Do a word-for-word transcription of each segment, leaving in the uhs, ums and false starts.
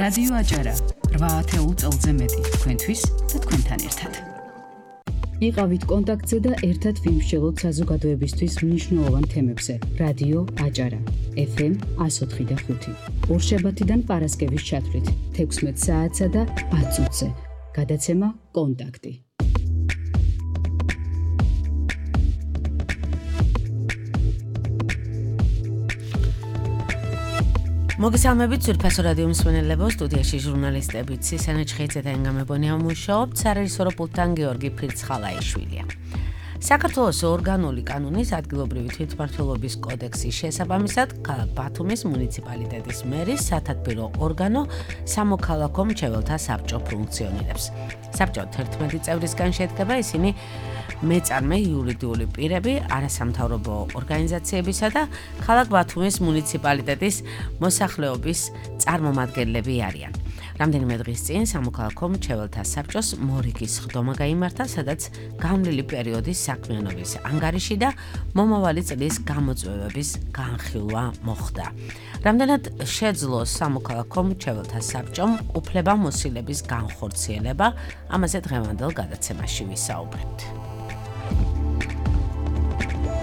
რადიო აჭარა რვა ათეულ წელზე მეტი თქვენთვის და თქვენთან ერთად. იყავით კონტაქტზე და ერთად ვიმსჯელოთ საზოგადოებისთვის მნიშვნელოვან თემებზე. რადიო აჭარა ეფ ემ εκατო ოთხი და ხუთი. ორშაბათიდან პარასკევის ჩათვლით თექვსმეტ საათსა და ათ წუთზე. გადაცემა კონტაქტი. მოგესალმებით ძვირფასო რადიო მსმენელებო, სტუდიაში ჟურნალისტები ცისანა ჩხეიძე და ენგა მებონია მუშაობთ, სარეჟისორო პულტთან გიორგი ფრიცხალაიშვილია. საქართველოს ორგანული კანონის ადგილობრივი თვითმმართველობის კოდექსის შესაბამისად, ქალაქ ბათუმის მუნიციპალიტეტის მერის სათათბირო ორგანო სამოქალაქო მრჩეველთა საბჭო ფუნქციონირებს. საბჭო თერთმეტი წევრისგან შედგება, ისინი მეწარმე იურიდიული პირები, არასამთავრობო ორგანიზაციებისა და ქალაქ ბათუმის მუნიციპალიტეტის მოსახლეობის წარმომადგენლები არიან. რამდენიმე დღის წინ სამოქალაქო მრჩეველთა საბჭოს მორიგის ხდომა გაიმართა, სადაც გამლილი პერიოდის საქმიანობის ანგარიში და მომავალი წლის გამოწვევების განხილვა მოხდა. რამდენად შეძლო სამოქალაქო მრჩეველთა საბჭომ უფლებამოსილების განხორციელება, ამაზე დღევანდელ გადაცემაში ვისაუბრებთ.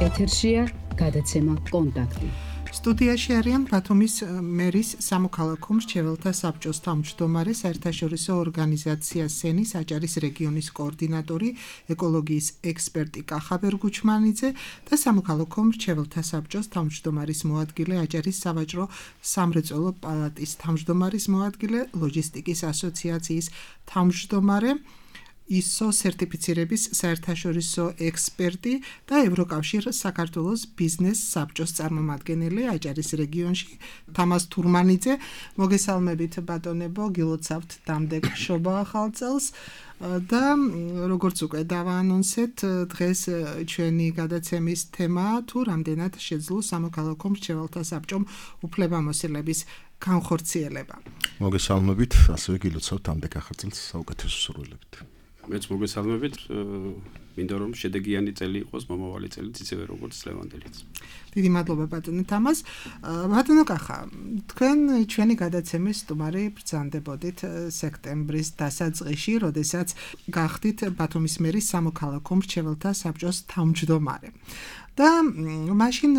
ეთერშია გადაცემა კონტაქტი. სტუდიაში არიან ბათუმის მერის სამოქალაქო მრჩეველთა საბჭოს თავმჯდომარე, საერთაშორისო ორგანიზაცია სენის აჭარის რეგიონის კოორდინატორი, ეკოლოგიის ექსპერტი კახა ბერგუჩმანიძე და სამოქალაქო მრჩეველთა საბჭოს თავმჯდომარის მოადგილე, აჭარის სავაჭრო სამრეწველო პალატის თავმჯდომარის მოადგილე, ლოჯისტიკის ასოციაციის თავმჯდომარე, ისო სერტიფიცირების საერთაშორისო ექსპერტი და ევროკავშირ საქართველოს ბიზნეს საბჭოს წარმომადგენელი აჭარის რეგიონში თამას თურმანიძე. მოგესალმებით ბატონებო, გილოცავთ დამდეგ შობა ახალ წელს და როგორც უკვე დავაანონსეთ, დღეს ჩვენი გადაცემის თემაა თუ რამდენად შეძლო სამოქალაქო მრჩეველთა საბჭომ უფლებამოსილების განხორციელება. მოგესალმებით, ასევე გილოცავთ დამდეგ ახალ წელს საუკეთესო სურვილებით. მეც მოგესალმებით, მინდა რომ შედეგიანი წელი იყოს მომავალი წელიც ისევე როგორც ლევანდელიც. დიდი მადლობა ბატონო თამას. ბატონო კახა, თქვენ ჩვენი გადაცემის სტუმარი ბრძანდებოდით სექტემბრის დასაწყისში, როდესაც გახდით ბათუმის მერის სამოქალაქო მრჩეველთა საბჭოს თავმჯდომარე. და მაშინ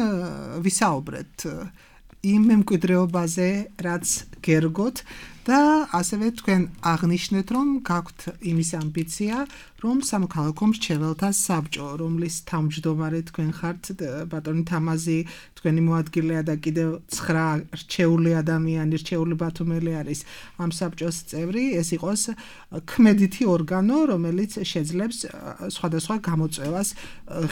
ვისაუბრეთ იმ მემკვიდრეობაზე, რაც გერგოთ და ასევე თქვენ აღნიშნეთ, რომ გაქვთ იმის ამბიცია, რომ სამოქალაქო მრჩეველთა საბჭო, რომლის თავმჯდომარე თქვენ ხართ, ბატონი თამაზი, თქვენი მოადგილეა და კიდევ ცხრა რჩეული ადამიანი, რჩეული ბათუმელი არის ამ საბჭოს წევრი, ეს იყოს ქმედითი ორგანო, რომელიც შეძლებს სხვადასხვა გამოწვევას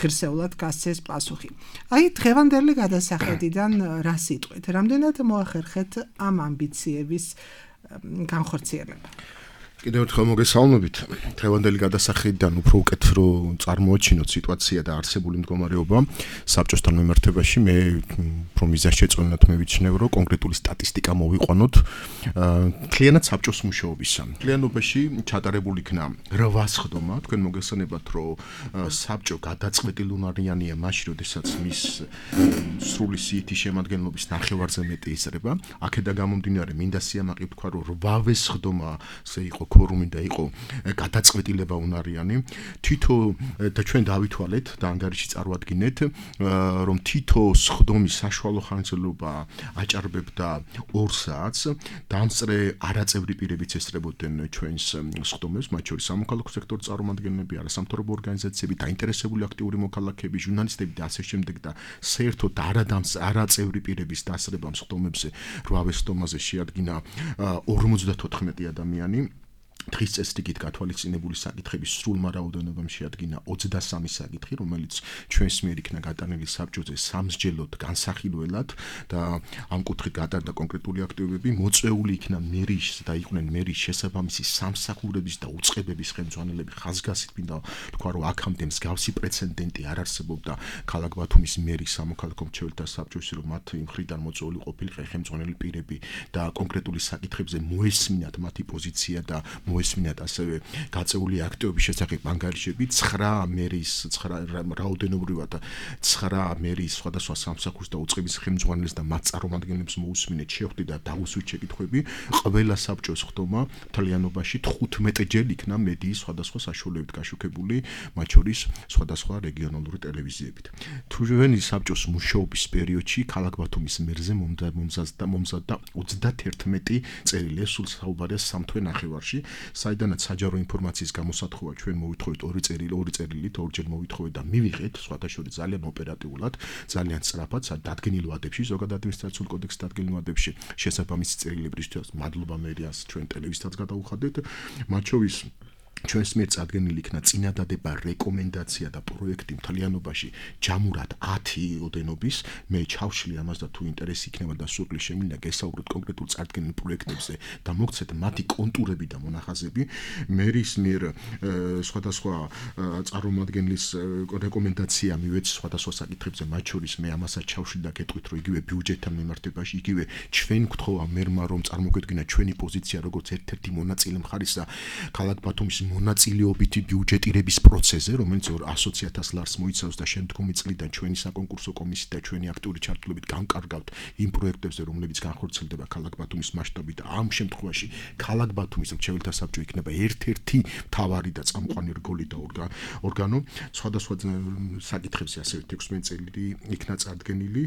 ღირსეულად გასცეს პასუხი. აი, დღევანდელი გადასახედიდან რა სიტყვით? რამდენად მოახერხეთ ამ ამბიციების განხორციელება? კიდევ ერთხელ მოგესალმებით. დღევანდელი გადასახედიდან უფრო უკეთ რო წარმოაჩინოთ სიტუაცია და არსებული მდგომარეობა საბჭოსთან მიმართებაში, მე უფრო მიზანშეწონილად მე ვიცნევ, რომ კონკრეტული სტატისტიკა მოვიყვანოთ მთლიანად საბჭოს მუშაობისა. მთლიანობაში ჩატარებული იქნა რვა სხდომა. თქვენ მოგესალმებათ, რომ საბჭო გადაწყვეტილუნარიანია მაშინ, როდესაც მის სრული სიითი შემადგენლობის ნახევარზე მეტი იზრდება. აქედან გამომდინარე, მინდა სიამაყე ვთქვა, რომ რვავე სხდომაზე იყო ქორუმი და იყო გადაწყვეტილება უნარიანი. თითო და ჩვენ დავითვალეთ და ანგარიში წარვადგინეთ, რომ თითო სხდომის საშუალო ხანგრძლივობა აჭარბებდა ორ საათს. დამსწრე არაწევრი პირებიც ესწრებოდნენ ჩვენს სხდომებს, მათ შორის სამოქალაქო სექტორის წარმომადგენლები, არასამთავრობო ორგანიზაციები, დაინტერესებული აქტიური მოქალაქეები, ჟურნალისტები და ასე შემდეგ და საერთოდ არაწევრი პირების დასწრება სხდომებზე რვავე სხდომაზე შეადგინა ორმოცდათოთხმეტი ადამიანი. დღის წესრიგით გათვალისწინებული საკითხების სრულმა რაოდენობამ შეადგინა ოცდასამი საკითხი, რომელიც ჩვენს მიერ იქნა გატანილი საბჭოზე სამსჯელოდ განსახილველად და ამ კუთხით გატარდა კონკრეტული აქტივობები, მოწვეული იქნა მერის და იყვნენ მერის შესაბამისი სამსახურების და უწყებების ხელმძღვანელები. ხაზგასით მინდა თქვა, რომ აქამდე მსგავსი პრეცედენტი არ არსებობდა ქალაქ ბათუმის მერის სამოქალაქო მრჩეველთა საბჭოში, რომ მათ მხრიდან მოწვეული ყოფილიყო ხელმძღვანელი პირები და კონკრეტული საკითხებზე მოესმინათ მათი პოზიცია და მოესმინათ ასევე გაწეული აქტივობის შესახებ ანგარიშები ცხრა მერის ცხრა რაოდენობრივად ცხრა მერის სხვადასხვა სამსახურს და უწყების ხელმძღვანელს და მათ წარმომადგენლებს მოусმინეთ შეხვდით და დაუსვით შეკითხვები ყველა საბჭოს ხდომა მთლიანობაში თხუთმეტ ჯერ იქნა მედიის სხვადასხვა საშუალებით გაშუქებული მათ შორის სხვადასხვა რეგიონალური ტელევიზიებით თუ ჩვენი საბჭოს მუშაობის პერიოდში ქალაქ ბათუმის მერზე მომზადდა მომზადდა ოცდაათერთმეტი წერილი სულ საუბარია სამ თვე ნახევარში საიდანაც საჯარო ინფორმაციის გამოსათხოვა ჩვენ მოვითხოვეთ ორი წერილი ორი წერილით ორჯერ მოვითხოვეთ და მივიღეთ სხვათა შორის ძალიან ოპერატიულად ძალიან სწრაფად დადგენილ ვადებში ზოგადად ადმინისტრაციულ კოდექსის დადგენილ ვადებში შესაბამისი წერილებისთვის მადლობა მერიას ჩვენ ტელევიზიასაც გადაუხადეთ მათ შორის ჩვენს მიერ წარდგენილი იქნა წინადადება რეკომენდაცია და პროექტი მთლიანობაში ჯამურად ათი ოდენობის მე ჩავშლი ამას და თუ ინტერესი იქნება და სურვილი შემიძლია გესაუბროთ კონკრეტულ წარდგენილ პროექტებზე და მოგცეთ მათი კონტურები და მონახაზები მერის მიერ სხვადასხვა წარმომადგენლის რეკომენდაცია მივეც სხვადასხვა საკითხებზე მათ შორის მე ამასაც ჩავშლი და გეტყვით რომ იგივე ბიუჯეტთან მიმართებაში იგივე ჩვენ გთხოვა მერმა რომ წარმოგვედგინა ჩვენი პოზიცია როგორც ერთ-ერთი მონაწილე მხარისა ქალაქ ბათუმის მონაწილეობითი ბიუჯეტირების პროცესზე, რომელიც ასოცი ათას ლარს მოიცავს და შემდგომი წლიდან ჩვენი საკონკურსო კომისიით და ჩვენი აქტიური ჩართულობით განკარგავთ იმ პროექტებზე, რომლებიც განხორციელდება ქალაქ ბათუმის მასშტაბით და ამ შემთხვევაში ქალაქ ბათუმის მრჩეველთა საბჭო იქნება ერთ-ერთი მთავარი და წამყვანი რგოლი და ორგანო. სხვადასხვა საკითხებზე ასევე ექვსმეტი წელი იქნა წარდგენილი,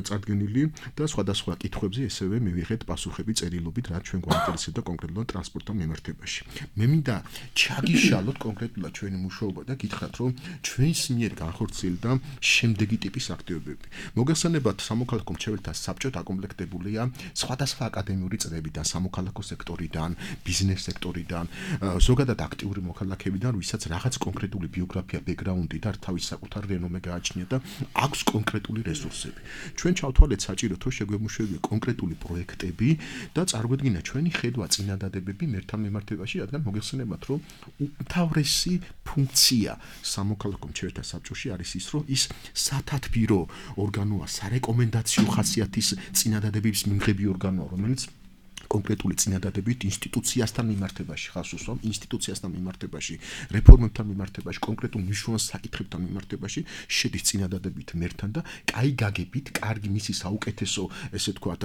წარდგენილი და სხვადასხვა კითხვებზე ესევე მივიღეთ პასუხები წერილობით, რაც ჩვენ გვაინტერესებდა კონკრეტულად ტრანსპორტთან მიმართებაში. მე მინდა ჩაგიშალოთ კონკრეტულად ჩვენი მუშაობა და გითხრათ რომ ჩვენს მიერ განხორციელდა შემდეგი ტიპის აქტივობები. მოგესალმებათ სამოქალაქო მრჩეველთა საბჭო დაკომპლექტებულია სხვადასხვა აკადემიური წრეებიდან, სამოქალაქო სექტორიდან, ბიზნეს სექტორიდან, ზოგადად აქტიური მოქალაქეებიდან, ვისაც რაღაც კონკრეტული ბიოგრაფია, ბექგრაუნდი და თავის საკუთარ რენომე გააჩნია და აქვს კონკრეტული რესურსები. ჩვენ ჩავთვალეთ საჭიროდ რომ შეგვემუშავებია კონკრეტული პროექტები და წარმოედგინა ჩვენი ხედვა წინადადებები მერთან მიმართებაში, რადგან მოგეხსენებათ რომ უმთავრესი ფუნქცია სამოქალაქო მრჩეველთა საბჭოში არის ის რომ ის სათათბირო ორგანოა, სარეკომენდაციო ხასიათის წინადადების მიმღები ორგანოა, რომელიც კონკრეტული წინადადებით ინსტიტუციასთან მიმართებაში ხას უსვამ, ინსტიტუციასთან მიმართებაში, რეფორმებთან მიმართებაში, კონკრეტულ მნიშვნელოვან საკითხებთან მიმართებაში შედის წინადადებით მერთან და კაი გაგებით, კარგი მისი საუკეთესო, ესე ვთქვათ,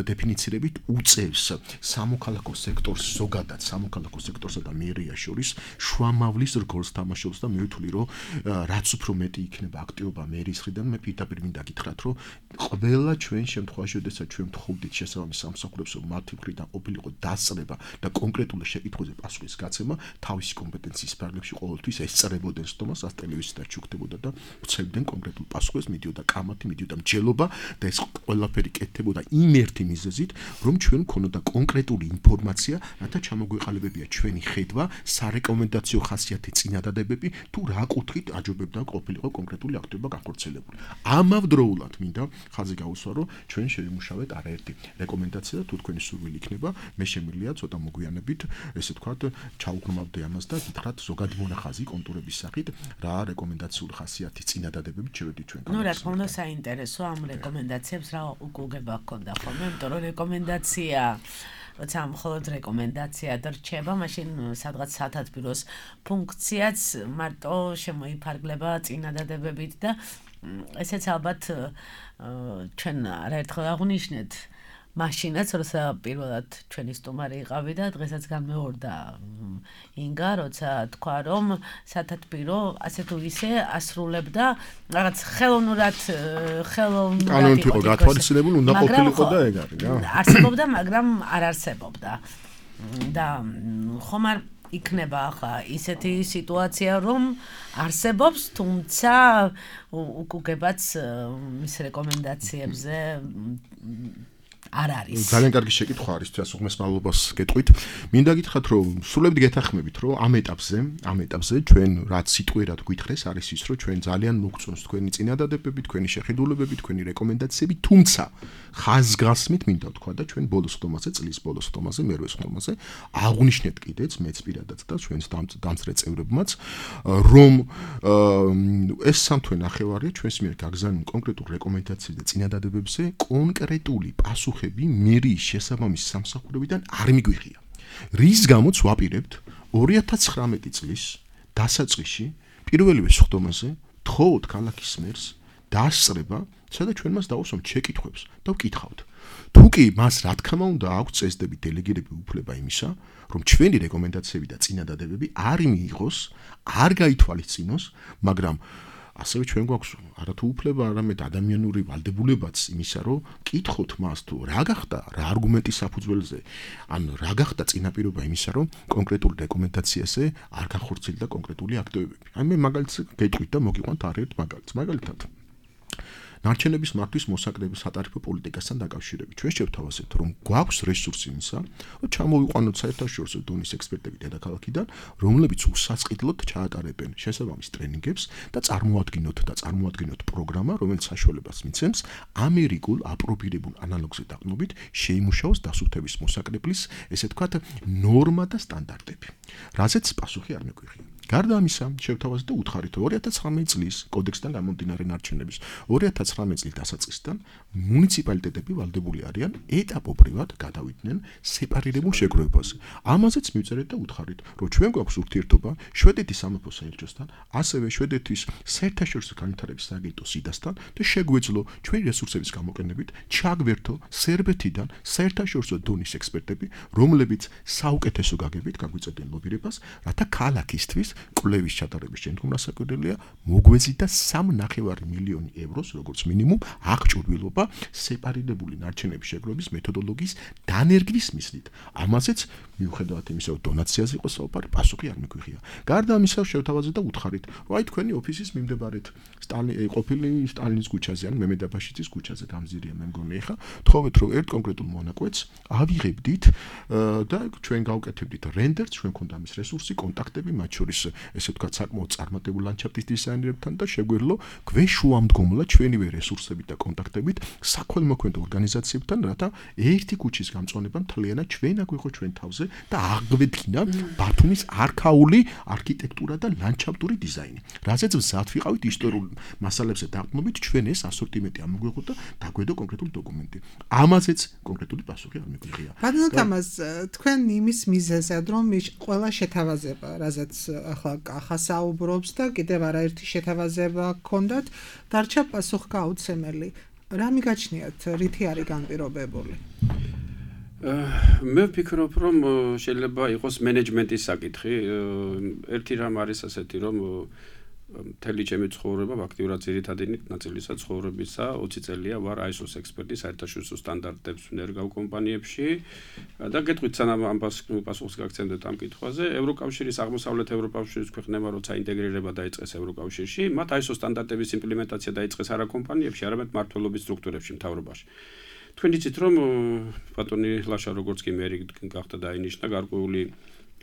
დეფინიცირებით უწევს სამოქალაქო სექტორს ზოგადად, სამოქალაქო სექტორსა და მერიას შორის შუამავლის რგოლს თამაშობს და მე ვთვლი რომ რაც უფრო მეტი იქნება აქტივობა მერის მხრიდან, მე პირდაპირ მინდა გითხრათ რომ ყველა ჩვენ შემთხვევაში, როდესაც ჩვენ ვთხოვდით შესაბამის სამსახურებს მათი მხრიდან ყოფილიყო დასწრება და კონკრეტული შეკითხვაზე პასუხის გაცემა თავისი კომპეტენციის სფეროებში ყოველთვის ესწრებოდნენ სტომას ას ტელევიზიიდან ჩუქდებოდა და ვცებდნენ კონკრეტულ პასუხებს, მიდიოდა კამათი, მიდიოდა მჯელობა და ეს ყველაფერი კეთდებოდა იმ ერთი მიზეზით, რომ ჩვენ გქონოდა კონკრეტული ინფორმაცია, რათა ჩამოგვეყალიბებია ჩვენი ხედვა, სარეკომენდაციო ხასიათი წინადადებები თუ რა კუთხით აჯობებდა ყოფილიყო კონკრეტული აქტივობა განხორციელებული. ამავდროულად მინდა ხაზი გაუსვა, რომ ჩვენ შევიმუშავეთ არაერთი რეკომენდაცია და თუ თქვენი სურვილი იქნება, მე შემიძლია ცოტა მოგვიანებით, ესე ვთქვათ, ჩაუყრმავდე ამას და გითხრათ ზოგადი მონახაზი კონტურების სახით, რა რეკომენდაციული ხასიათის წინადადებებით შევედით ჩვენ. ნუ რა თქმა უნდა საინტერესო ამ რეკომენდაციებს რა უკუგება გქონდა ხოლმე, იმიტომ რომ რეკომენდაცია როცა მხოლოდ რეკომენდაცია დარჩება, მაშინ სადღაც სათათბიროს ფუნქციაც მარტო შემოიფარგლება წინადადებებით და ესეც ალბათ ჩვენ არაერთხელ აღვნიშნეთ მაშინაც, როცა პირველად ჩვენი სტუმარი იყავი და დღესაც განმეორდა ინგა, როცა თქვა რომ სათათბირო ასე თუ ისე ასრულებდა რაღაც ხელოვნურად ხელოვნურად კანონით იყო გათვალისწინებული, უნდა ყოფილიყო და ეგ არის რა. არსებობდა, მაგრამ არ არსებობდა. და ხომ არ იქნება ახლა ისეთი სიტუაცია, რომ არსებობს, თუმცა უკუგებაც მის რეკომენდაციებზე არ არის. ძალიან კარგი შეკითხვა არის, თუნდაც უღმეს მადლობას გეტყვით. მინდა გითხრათ, რომ სრულებით გეთანხმებით, რომ ამ ეტაპზე, ამ ეტაპზე ჩვენ რაც სიტყვიერად გვითხრეს, არის ის, რომ ჩვენ ძალიან მოგწონს თქვენი წინადადებები, თქვენი შეხედულებები, თქვენი რეკომენდაციები, თუმცა ხაზგასმით მინდა ვთქვა და ჩვენ ბოლოს ხდომაზე, წლის ბოლოს ხდომაზე, მერვე ხდომაზე აღვნიშნეთ კიდეც მეც პირადად და ჩვენს დამწრე წევრებმაც, რომ ეს სამთვე ნახევარია ჩვენს მიერ გაგზავნილ კონკრეტულ რეკომენდაციებზე და წინადადებებზე კონკრეტული პასუხები მერიის შესაბამის სამსახურებიდან არ მიგვიღია. რის გამოც ვაპირებთ ორი ათას ცხრამეტი წლის დასაწყისში პირველივე სხდომაზე თხოვოთ ქალაქის მერს დაასწრება, სადაც ჩვენ მას დავუსვამთ შეკითხვებს და ვკითხავთ. თუ კი მას რა თქმა უნდა აქვს წესდები დელეგირებული უფლება იმისა, რომ ჩვენი რეკომენდაციები და წინადადებები არ მიიღოს, არ გაითვალისწინოს, მაგრამ ასევე ჩვენ გვაქვს არათუ უფლება, არამედ ადამიანური ვალდებულებაც იმისა, რომ კითხოთ მას თუ რა გახდა, რა არგუმენტის საფუძველზე, ან რა გახდა წინაპირობა იმისა, რომ კონკრეტულ რეკომენდაციაზე არ განხორციელდა კონკრეტული აქტივობები. აი მე მაგალითს გეტყვით და მოგიყვანთ არაერთ მაგალითს. მაგალითად ნარჩენების მართვის მოსაკრების სატარიფო პოლიტიკასთან დაკავშირებით ჩვენ შევთავაზებთ, რომ გვაქვს რესურსი იმისა, რომ ჩამოვიყვანოთ საერთაშორისო დონის ექსპერტები დედაქალაქიდან, რომლებიც უსასყიდლოდ ჩაატარებენ შესაბამის ტრენინგებს და წარმოადგენთ და წარმოადგენთ პროგრამა, რომელიც საშუალებას მიცემს ამერიკულ აპრობირებულ ანალოგზე დაყრდნობით შეიმუშაოს დასუფთების მოსაკრებლის, ესე ვთქვათ, ნორმა და სტანდარტები. რაზეც პასუხი არ მეგვიღია. გარდა ამისა, შევთავაზეთ და უთხარით ორი ათას ცხრამეტი წლის კოდექსთან გამომდინარე ნარჩენების ორი ათას ცხრამეტი წლის დასაწყისიდან მუნიციპალიტეტები ვალდებული არიან ეტაპობრივად გადავიდნენ სეპარირებულ შეგროვებაზე. ამაზეც მივწერეთ და უთხარით, რომ ჩვენ გვაქვს ურთიერთობა შვედეთის სამეფო საელჩოსთან, ასევე შვედეთის საერთაშორისო განვითარების სააგენტო სიდასთან და შეგვეძლო ჩვენი რესურსების გამოყენებით ჩაგვერთო სერბეთიდან საერთაშორისო დონის ექსპერტები, რომლებიც საუკეთესო გაგებით გაგვიწევდნენ ლობირებას, რათა ქალაქისთვის კვლევის ჩატარების შემდგომ რასაკვირველია მოგვეზიდა სამი ნახევარი მილიონი ევროს როგორც მინიმუმ აღჭურვილობა სეპარირებული ნარჩენების შეგროვების მეთოდოლოგიის დანერგვის მიზნით. ამაზეც მიუხედავად იმისა, რომ დონაციაზე იყო საუბარი, პასუხი არ მიგვიღია. გარდა ამისა, შევთავაზეთ და უთხარით, რომ აი თქვენი ოფისის მიმდებარედ სტალინი ყოფილი სტალინის ქუჩაზე ან მემედაბაშიძის ქუჩაზე გამზირია მე მგონი ახლა, თხოვეთ რომ ერთ კონკრეტულ მონაკვეთს ავიღებდით და ჩვენ გავკეთებდით რენდერს, ჩვენ გვქონდა ამის რესურსი, კონტაქტები, მათ შორის ესე ვთქვათ, საკმაოდ წარმატებულ ლანდშაფტის დიზაინერებთან და შეგვეძლო გვეშუამდგომლა ჩვენივე რესურსებით და კონტაქტებით საქველმოქმედო ორგანიზაციებთან, რათა ერთი ქუჩის გამწვანება მთლიანად ჩვენ აგვიღო ჩვენ თავზე და აღვედგინა ბათუმის არქაული არქიტექტურა და ლანდშაფტური დიზაინი. რაზეც მზად ვიყავით ისტორიულ მასალებზე დაყრდნობით, ჩვენ ეს ასორტიმენტი ამოგვიღოთ და დაგვედო კონკრეტული დოკუმენტი. ამაზეც კონკრეტული პასუხი არ მიგვიღია. ბატონო თამაზ, თქვენ იმის მიზეზად რომ ყველა შეთავაზება, რაზეც ახლა კახა საუბრობს და კიდევ არაერთი შეთავაზება გქონდათ, დარჩა პასუხგაუცემელი. რა მიგაჩნიათ, რითი არის განპირობებული? მე ვფიქრობ, რომ შეიძლება იყოს მენეჯმენტის საკითხი. ერთი რამ არის ასეთი, რომ მთელი ჩემი ცხოვრება აქტიურად ძირითადი ნაწილისა ცხოვრებისა ოცი წელია ვარ აი ეს ოს ექსპერტი საერთაშორისო სტანდარტებს ვინერგავ კომპანიებში და გეტყვით სანამ ამ პასუხს გაგცემდეთ ამ კითხვაზე, ევროკავშირის აღმოსავლეთ ევროკავშირის ქვეყნებმა როცა ინტეგრირება დაიწყეს ევროკავშირში, მათ აი ეს ოს სტანდარტების იმპლემენტაცია დაიწყეს არა კომპანიებში, არამედ მმართველობის სტრუქტურებში, მთავრობაში. თქვენ იცით, რომ ბატონი ლაშა როგორც კი მერი გახდა დაინიშნა, გარკვეული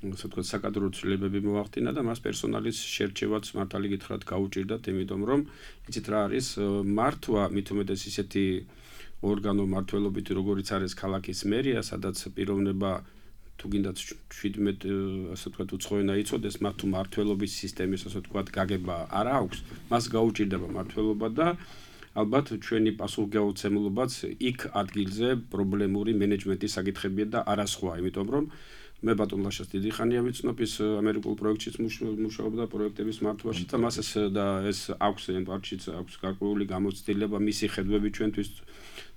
ასე ვთქვათ, საკადრო ცვლილებები მოახდინა და მას პერსონალის შერჩევაც მართალი გითხრათ გაუჭირდათ, იმიტომ რომ იცით რა არის მართვა, მით უმეტეს ისეთი ორგანო მმართველობითი, როგორიც არის ქალაქის მერია, სადაც პიროვნება თუ გინდათ შვიდმეტ ასე ვთქვათ უცხოენა იცოდეს, მათ თუ მმართველობის სისტემის ასე ვთქვათ გაგება არ აქვს, მას გაუჭირდება მმართველობა და ალბათ ჩვენი პასუხგაუცემლობაც იქ ადგილზე პრობლემური მენეჯმენტის საკითხებია და არა სხვა, იმიტომ რომ მე ბატონ ლაშას დიდი ხანია ვიცნობ, ის ამერიკულ პროექტშიც მუშაობდა პროექტების მართვაში და მას ეს და ეს აქვს პარტშიც აქვს გარკვეული გამოცდილება, მისი ხედვები ჩვენთვის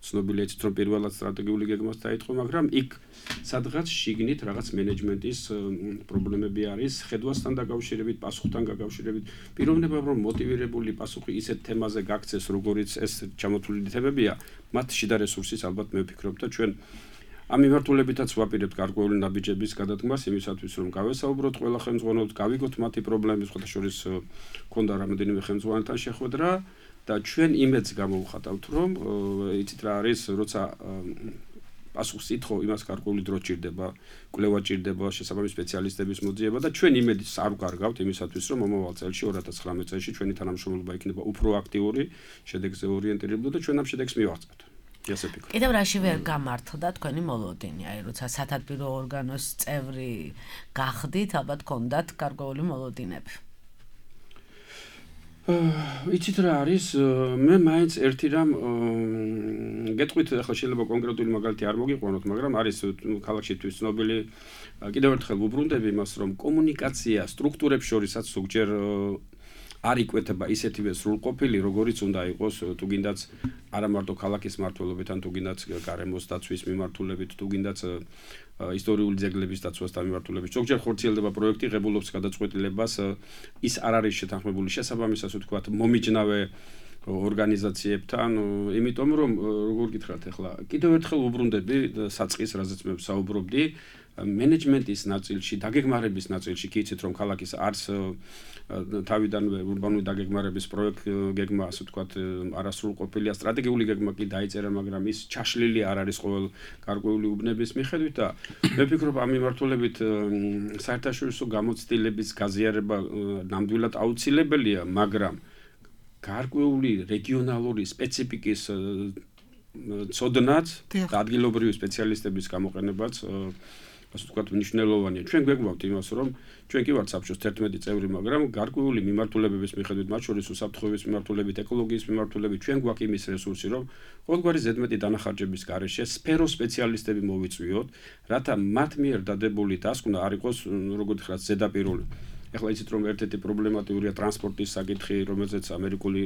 ცნობილია, იცით რომ პირველად სტრატეგიული გეგმას დაიწყო, მაგრამ იქ სადღაც შიგნით რაღაც მენეჯმენტის პრობლემები არის, ხედვასთან დაკავშირებით, პასუხთან დაკავშირებით. პიროვნება რომ მოტივირებული პასუხი ისეთ თემაზე გაქცეს, როგორიც ეს ჩამოთვლილი თემებია, მათ შიდა რესურსის ალბათ მე ვფიქრობ და ჩვენ ამ მიმართულებითაც ვაპირებთ გარკვეული ნაბიჯების გადადგმას იმისათვის, რომ გავესაუბროთ ყველა ხელმძღვანელს, გავიგოთ მათი პრობლემის, სხვათა შორის ქონდა რამოდენიმე ხელმძღვანელთან შეხვედრა და ჩვენ იმედს გამოვხატავთ, რომ იცით რა არის, როცა პასუხს ითხოვ, იმას გარკვეული დრო ჭირდება, კვლევა ჭირდება, შესაბამის სპეციალისტების მოძიება და ჩვენ იმედს არ ვკარგავთ იმისათვის, რომ მომავალ წელში ორი ათას ცხრამეტ წელში ჩვენი თანამშრომლობა იქნება უფრო აქტიური, შედეგზე ორიენტირებული და ჩვენ ამ შედეგს მივაღწევთ. კიდევ რაში ვერ გამართლდა თქვენი მოლოდინი, აი როცა სათათბირო ორგანოს წევრი გახდით, ალბათ გქონდათ გარკვეული მოლოდინები. იცით რა არის მე მაინც ერთი რამ გეტყვით ახლა შეიძლება კონკრეტული მაგალითი არ მოგიყვანოთ მაგრამ არის ქალაქში თვის ცნობილი კიდევ ერთხელ ვუბრუნდები იმას რომ კომუნიკაცია სტრუქტურებს შორისაც ზოგჯერ არ იკვეთება ისეთივე სრულყოფილი როგორიც უნდა იყოს თუ გინდაც არა მარტო ქალაქის მმართველობით ან თუ გინდაც გარემოს დაცვის მიმართულებით თუ გინდაც ისტორიული ძეგლების დაცვასთან მიმართულებით ზოგჯერ ხორციელდება პროექტი ღებულობს გადაწყვეტილებას ის არ არის შეთანხმებული შესაბამისად ვთქვათ მომიჯნავე ორგანიზაციებთან იმიტომ რომ როგორ გითხრათ ახლა კიდევ ერთხელ ვუბრუნდები საწყის რაზეც მე ვსაუბრობდი მენეჯმენტის ნაწილში დაგეგმარების ნაწილში კი იცით რომ ქალაქის არც თავიდანვე ურბანული დაგეგმარების პროექტი გეგმა ასე ვთქვათ არასრულყოფილია სტრატეგიული გეგმა კი დაიწერა მაგრამ ის ჩაშლილი არ არის ყოველ გარკვეული უბნების მიხედვით და მე ვფიქრობ ამ მიმართულებით საერთაშორისო გამოცდილების გაზიარება ნამდვილად აუცილებელია მაგრამ გარკვეული რეგიონალური სპეციფიკის ცოდნაც და ადგილობრივი სპეციალისტების გამოყენებაც ასე ვთქვათ მნიშვნელოვანია. ჩვენ გვეგმავთ იმას, რომ ჩვენ კი ვართ საბჭოს თერთმეტი წევრი, მაგრამ გარკვეული მიმართულებების მიხედვით, მათ შორის უსაფრთხოების მიმართულებით, ეკოლოგიის მიმართულებით, ჩვენ გვაქვს იმის რესურსი, რომ ყოველგვარი ზედმეტი დანახარჯების გარეშე სფეროს სპეციალისტები მოვიწვიოთ, რათა მათ მიერ დადებული დასკვნა არ იყოს, როგორც ხარ ზედაპირული. ეხლა იცით რომ ერთ-ერთი პრობლემატურია ტრანსპორტის საკითხი, რომელზეც ამერიკული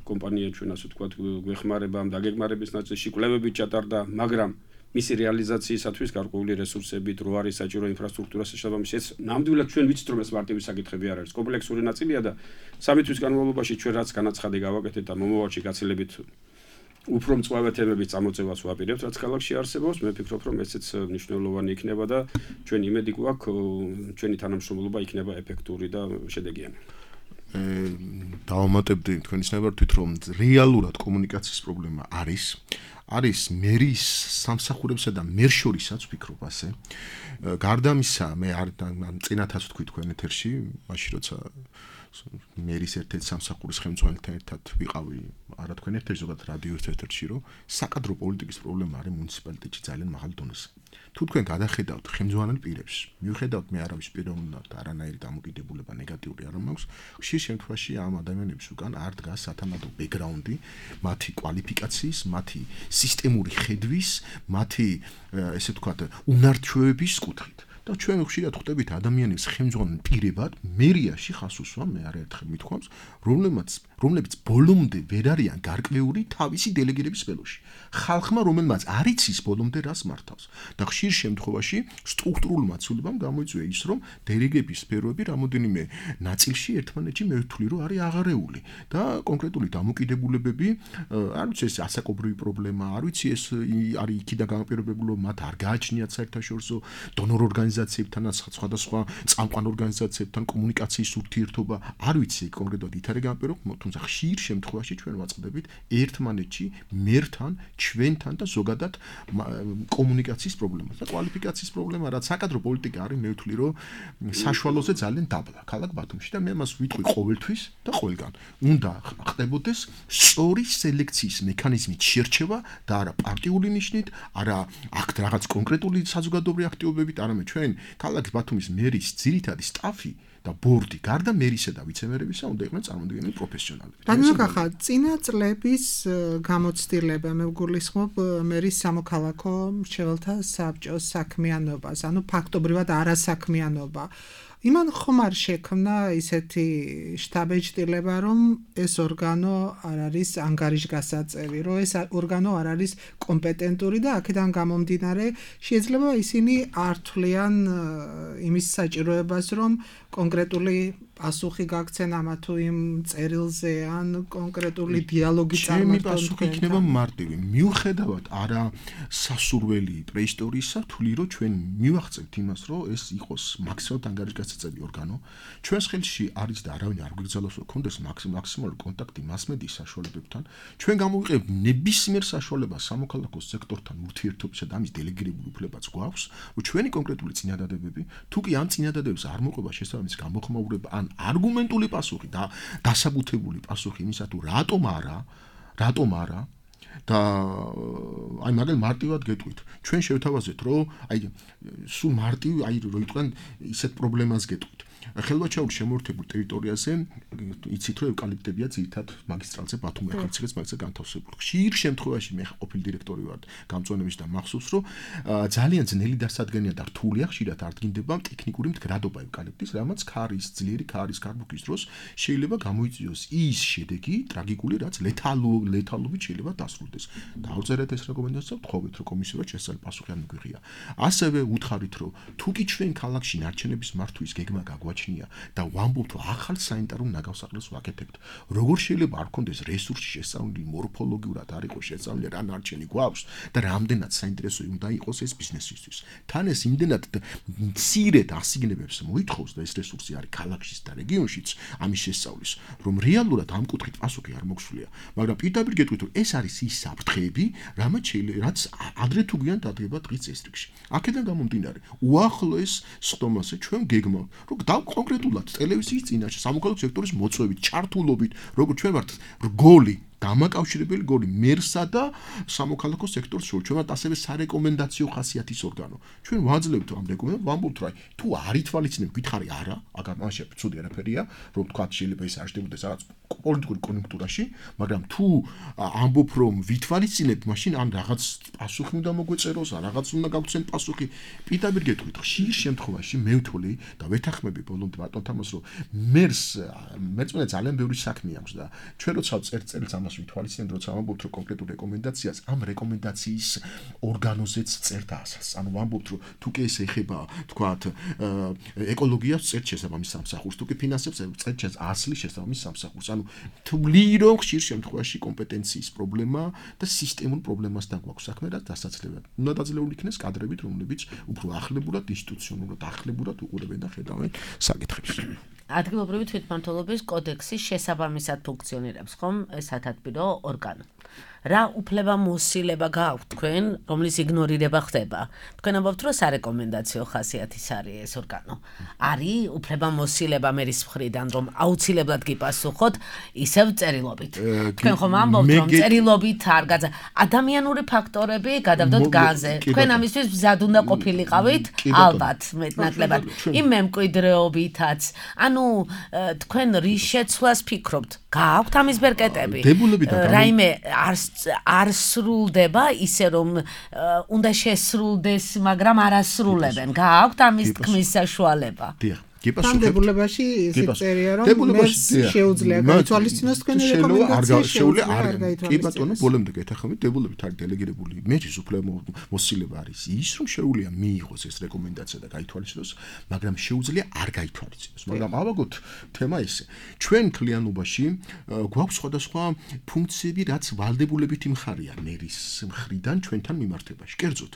კომპანია ჩვენ ასე ვთქვათ გვეხმარება ამ დაგეგმარების ნაწილში კვლევები ჩატარდა, მაგრამ მისი რეალიზაციისათვის გარკვეული რესურსები, დრო არის საჭირო ინფრასტრუქტურას შესაბამისად. ეს ნამდვილად ჩვენ ვიცით რომ ეს მარტივი საკითხები არ არის, კომპლექსური ნაწილია და სამი თვის განმავლობაში ჩვენ რაც განაცხადი გავაკეთეთ და მომავალში გაცილებით უფრო მწვავე თემების წამოწევას ვაპირებთ, რაც ქალაქში არსებობს. მე ვფიქრობ რომ ესეც მნიშვნელოვანი იქნება და ჩვენ იმედი გვაქვს ჩვენი თანამშრომლობა იქნება ეფექტური და შედეგიანი. დავამატებდი თქვენის ნებართვით რომ რეალურად კომუნიკაციის პრობლემა არის არის მერის სამსახურებსა და მერს შორისაც ვფიქრობ ასე გარდა ამისა მე არ წინათაც ვთქვი თქვენ ეთერში მაშინ როცა მერის ერთ-ერთ სამსახურის ხელმძღვანელთან ერთად ვიყავი არა თქვენ ეთერში ზოგადად რადიო ეთერში რომ საკადრო პოლიტიკის პრობლემა არის მუნიციპალიტეტში ძალიან მაღალ დონეზე თუ თქვენ გადახედავთ ხელმძღვანელ პირებს მიუხედავთ მე არავის პიროვნებად და არანაირი დამოკიდებულება ნეგატიური არ მაქვს ხშირ შემთხვევაში ამ ადამიანების უკან არ დგას სათანადო ბექგრაუნდი მათი კვალიფიკაციის მათი სისტემური ხედვის მათი ესე ვთქვათ უნარჩვევების კუთხით და ჩვენ ხშირად ხვდებით ადამიანებს ხელმძღვანელ პირებად მერიაში ხას უსვამ მე არაერთხელ მithქვამს რომლებიც რომლებიც ბოლომდე ვერ არიან გარკვეული თავისი დელეგირების სფეროში ხალხმა რომელმაც არ იცის ბოლომდე რას მართავს და ხშირ შემთხვევაში სტრუქტურულ მაცულებამ გამოიწვია ის რომ დელეგების სფეროები რამოდენიმე ნაწილში ერთმანეთში მე ვთვლი რომ არის აღარეული და კონკრეტული დამოკიდებულებები არ ვიცი ეს ასაკობრივი პრობლემა არ ვიცი ეს არის იქიდან გამაპირობებული რომ მათ არ გააჩნიათ საერთაშორისო დონორ ორგანიზაციებთან სხვადასხვა წამყვან ორგანიზაციებთან კომუნიკაციის ურთიერთობა არ ვიცი კონკრეტულად ითარე გამაპირობ თუმცა ხშირ შემთხვევაში ჩვენ ვაწყდებით ერთმანეთში მერთან ჩვენთან და ზოგადად კომუნიკაციის პრობლემას და კვალიფიკაციის პრობლემა რაც საკადრო პოლიტიკა არის მე ვთვლი რომ საშუალოზე ძალიან დაბლა ქალაქ ბათუმში და მე მას ვიტყვი ყოველთვის და ყველგან უნდა ხდებოდეს სწორი სელექციის მექანიზმით შერჩევა და არა პარტიული ნიშნით არა აქ რაღაც კონკრეტული საზოგადოებრივი აქტივობებით არამედ ჩვენ ქალაქ ბათუმის მერის ძირითადი სტაფი და ბორდი გარდა მერისა და ვიცემერებისა უნდა იყვნენ წარმოდგენილი პროფესიონალები. რადგან ხა წინა წლების გამოცდილება მე ვგულისხმობ მერის სამოქალაქო მრჩეველთა საბჭოს საქმიანობას, ანუ ფაქტობრივად არასაქმიანობა. იმან ხომ არ შექმნა ისეთი შტაბ-ეჭდილება, რომ ეს ორგანო არ არის ანგარიშგასაწევი, რომ ეს ორგანო არ არის კომპეტენტური და აქედან გამომდინარე შეიძლება ისინი არ თვლიან იმის საჭიროებას, რომ კონკრეტული პასუხი გაგცენ ამა თუ იმ წერილზე ან კონკრეტული დიალოგი წარმატონ. ჩემი პასუხი იქნება მარტივი. მიუხედავად არა სასურველი პრეისტორიისა, თვლი რომ ჩვენ მივახცევთ იმას, რომ ეს იყოს მაქსიმალურად ანგარიშგასაწევი ორგანო. ჩვენს ხელში არის და არავინ არ გვიგზავნოს რომ კონდეს მაქსიმალური კონტაქტი მასმედიის საშუალებებთან. ჩვენ გამოვიყენებთ ნებისმიერ საშუალებას სამოქალაქო სექტორთან ურთიერთობისა და ამის დელეგირებული უფლებაც გვაქვს, რომ ჩვენი კონკრეტული წინადადებები, თუ კი ამ წინადადებებს არ მოყვება შესაბამისი გამოხმაურება ან არგუმენტული პასუხი და დასაბუთებული პასუხი იმისა თუ რატომ არა, რატომ არა და აი მაგალ მარტივად გეტყვით. ჩვენ შევთავაზეთ, რომ აი სულ მარტივი აი რო იყვნენ ისეთ პრობლემას გეტყვით. ხელვაჩაურის შემოერთებულ ტერიტორიაზე იცით რომ ევკალიპტებია ძირითად მაგისტრალზე ბათუმი ახალციხეს მაგისტრალზე განთავსებული. ხშირ შემთხვევაში მე ყოფილი დირექტორი ვარ გამწვანების და მახსოვს რომ ძალიან ძნელი დასადგენია და რთულია ხშირად არდგინდება ტექნიკური მდგრადობა ევკალიპტის, რამაც ქარის ძლიერი ქარის გარბუქის დროს შეიძლება გამოიწვიოს ის შედეგი ტრაგიკული, რაც ლეთალურ ლეთალობით შეიძლება დასრულდეს. დავწერეთ ეს რეკომენდაცია, ვთხოვეთ რომ კომისიურად შესწავლი პასუხი არ მიგვიღია. ასევე უთხარით რომ თუ კი ჩვენ ქალაქში ნარჩენების მართვის გეგმა გაგვაჩნია და ვამბობთ რომ ახალ სანიტარულ ნაგავსახელს ვაკეთებთ, როგორ შეიძლება არ გქონდეს რესურსი შესწავლილი მორფოლოგიურად არ იყოს შესწავლილი რა ნარჩენი გვაქვს და რამდენად საინტერესო უნდა იყოს ეს ბიზნესისთვის. თან ეს იმდენად მცირედ ასიგნებებს მოითხოვს და ეს რესურსი არის ქალაქშიც და რეგიონშიც ამის შესწავლის, რომ რეალურად ამ კუთხით პასუხი არ მოგვსულია. მაგრამ პირდაპირ გეტყვით რომ ეს არის ის საფრთხეები, რამაც რაც ადრე თუ გვიან დადგება დღის წესრიგში. აქედან გამომდინარე, უახლოეს სხდომაზე ჩვენ გეგმავთ, რომ კონკრეტულად ტელევიზიის წინაშე სამოქალაქო სექტორის მოწვევით, ჩართულობით, როგორც ჩვენ ვართ რგოლი დამაკავშირებელი გოლი მერსა და სამოქალაქო სექტორს შორის. ჩვენ ვართ ასევე სარეკომენდაციო ხასიათის ორგანო. ჩვენ ვაძლევთ ამ რეკომენდაციას, ვამბობთ რომ თუ არ ითვალისწინებ, გითხარი არა, აგარ მაშინ ცუდი არაფერია, რომ თქვა შეიძლება ის აღშდებოდეს რაღაც პოლიტიკური კონიუნქტურაში, მაგრამ თუ ამბობ რომ ვითვალისწინებ, მაშინ ან რაღაც პასუხი უნდა მოგვეწეროს, ან რაღაც უნდა გავცენ პასუხი. პირდაპირ გეტყვით, ხშირ შემთხვევაში მე ვთვლი და ვეთანხმები ბოლომდე ბატონ თამას რომ მერს მეწმენე ძალიან ბევრი საქმე აქვს და ჩვენ როცა წერწელს ამას ვითვალისწინებთ, როცა ვამბობთ რომ კონკრეტულ რეკომენდაციას, ამ რეკომენდაციის ორგანოზეც წერთ ასას. ანუ ვამბობთ რომ თუ კი ეს ეხება, თქვათ, ეკოლოგიას წერთ შესაბამის სამსახურს, თუ კი ფინანსებს წერთ ასლის შესაბამის სამსახურს. ანუ თვლი რომ ხშირ შემთხვევაში კომპეტენციის პრობლემა და სისტემურ პრობლემასთან გვაქვს საქმე და დასაცლებლად. უნდა დაძლეული იქნეს კადრებით, რომლებიც უფრო ახლებურად, ინსტიტუციონალურად ახლებურად უყურებენ და ხედავენ საკითხებს. ადგილობრივი თვითმმართველობის კოდექსი შესაბამისად ფუნქციონირებს, ხომ? ეს სათათბირო ორგანო. რა უფლება მოსილება გაქვთ თქვენ, რომლის იგნორირება ხდება? თქვენ ამბობთ, რომ სარეკომენდაციო ხასიათის არის ეს ორგანო. არის უფლება მოსილება მერის მხრიდან, რომ აუცილებლად გიპასუხოთ ისევ წერილობით. თქვენ ხომ ამბობთ, რომ წერილობით არ გაძა. ადამიანური ფაქტორები გადავდოთ განზე. თქვენ ამისთვის მზად უნდა ყოფილიყავით, ალბათ, მეტნაკლებად. იმ მემკვიდრეობითაც. ანუ თქვენ რის შეცვლას ფიქრობთ? გაქვთ ამის ბერკეტები? რაიმე არ არ სრულდება ისე რომ უნდა შესრულდეს, მაგრამ არ ასრულებენ. გააქვთ ამის თქმის საშუალება? დიახ. დებულებაში ისე წერია რომ მერს შეუძლია გაითვალისწინოს თქვენი რეკომენდაცია, შეუძლია არ გაითვალისწინოს. კი ბატონო, ბოლომდე გეთახმებით, დებულებით არის დელეგირებული მერის უფლება მოსილება არის ის, რომ შეუძლია მიიღოს ეს რეკომენდაცია და გაითვალისწინოს, მაგრამ შეუძლია არ გაითვალისწინოს. მაგრამ ავაგოთ თემა ისე. ჩვენ ქლიანობაში გვაქვს სხვადასხვა ფუნქციები, რაც ვალდებულებითი მხარეა მერის მხრიდან ჩვენთან მიმართებაში. კერძოდ,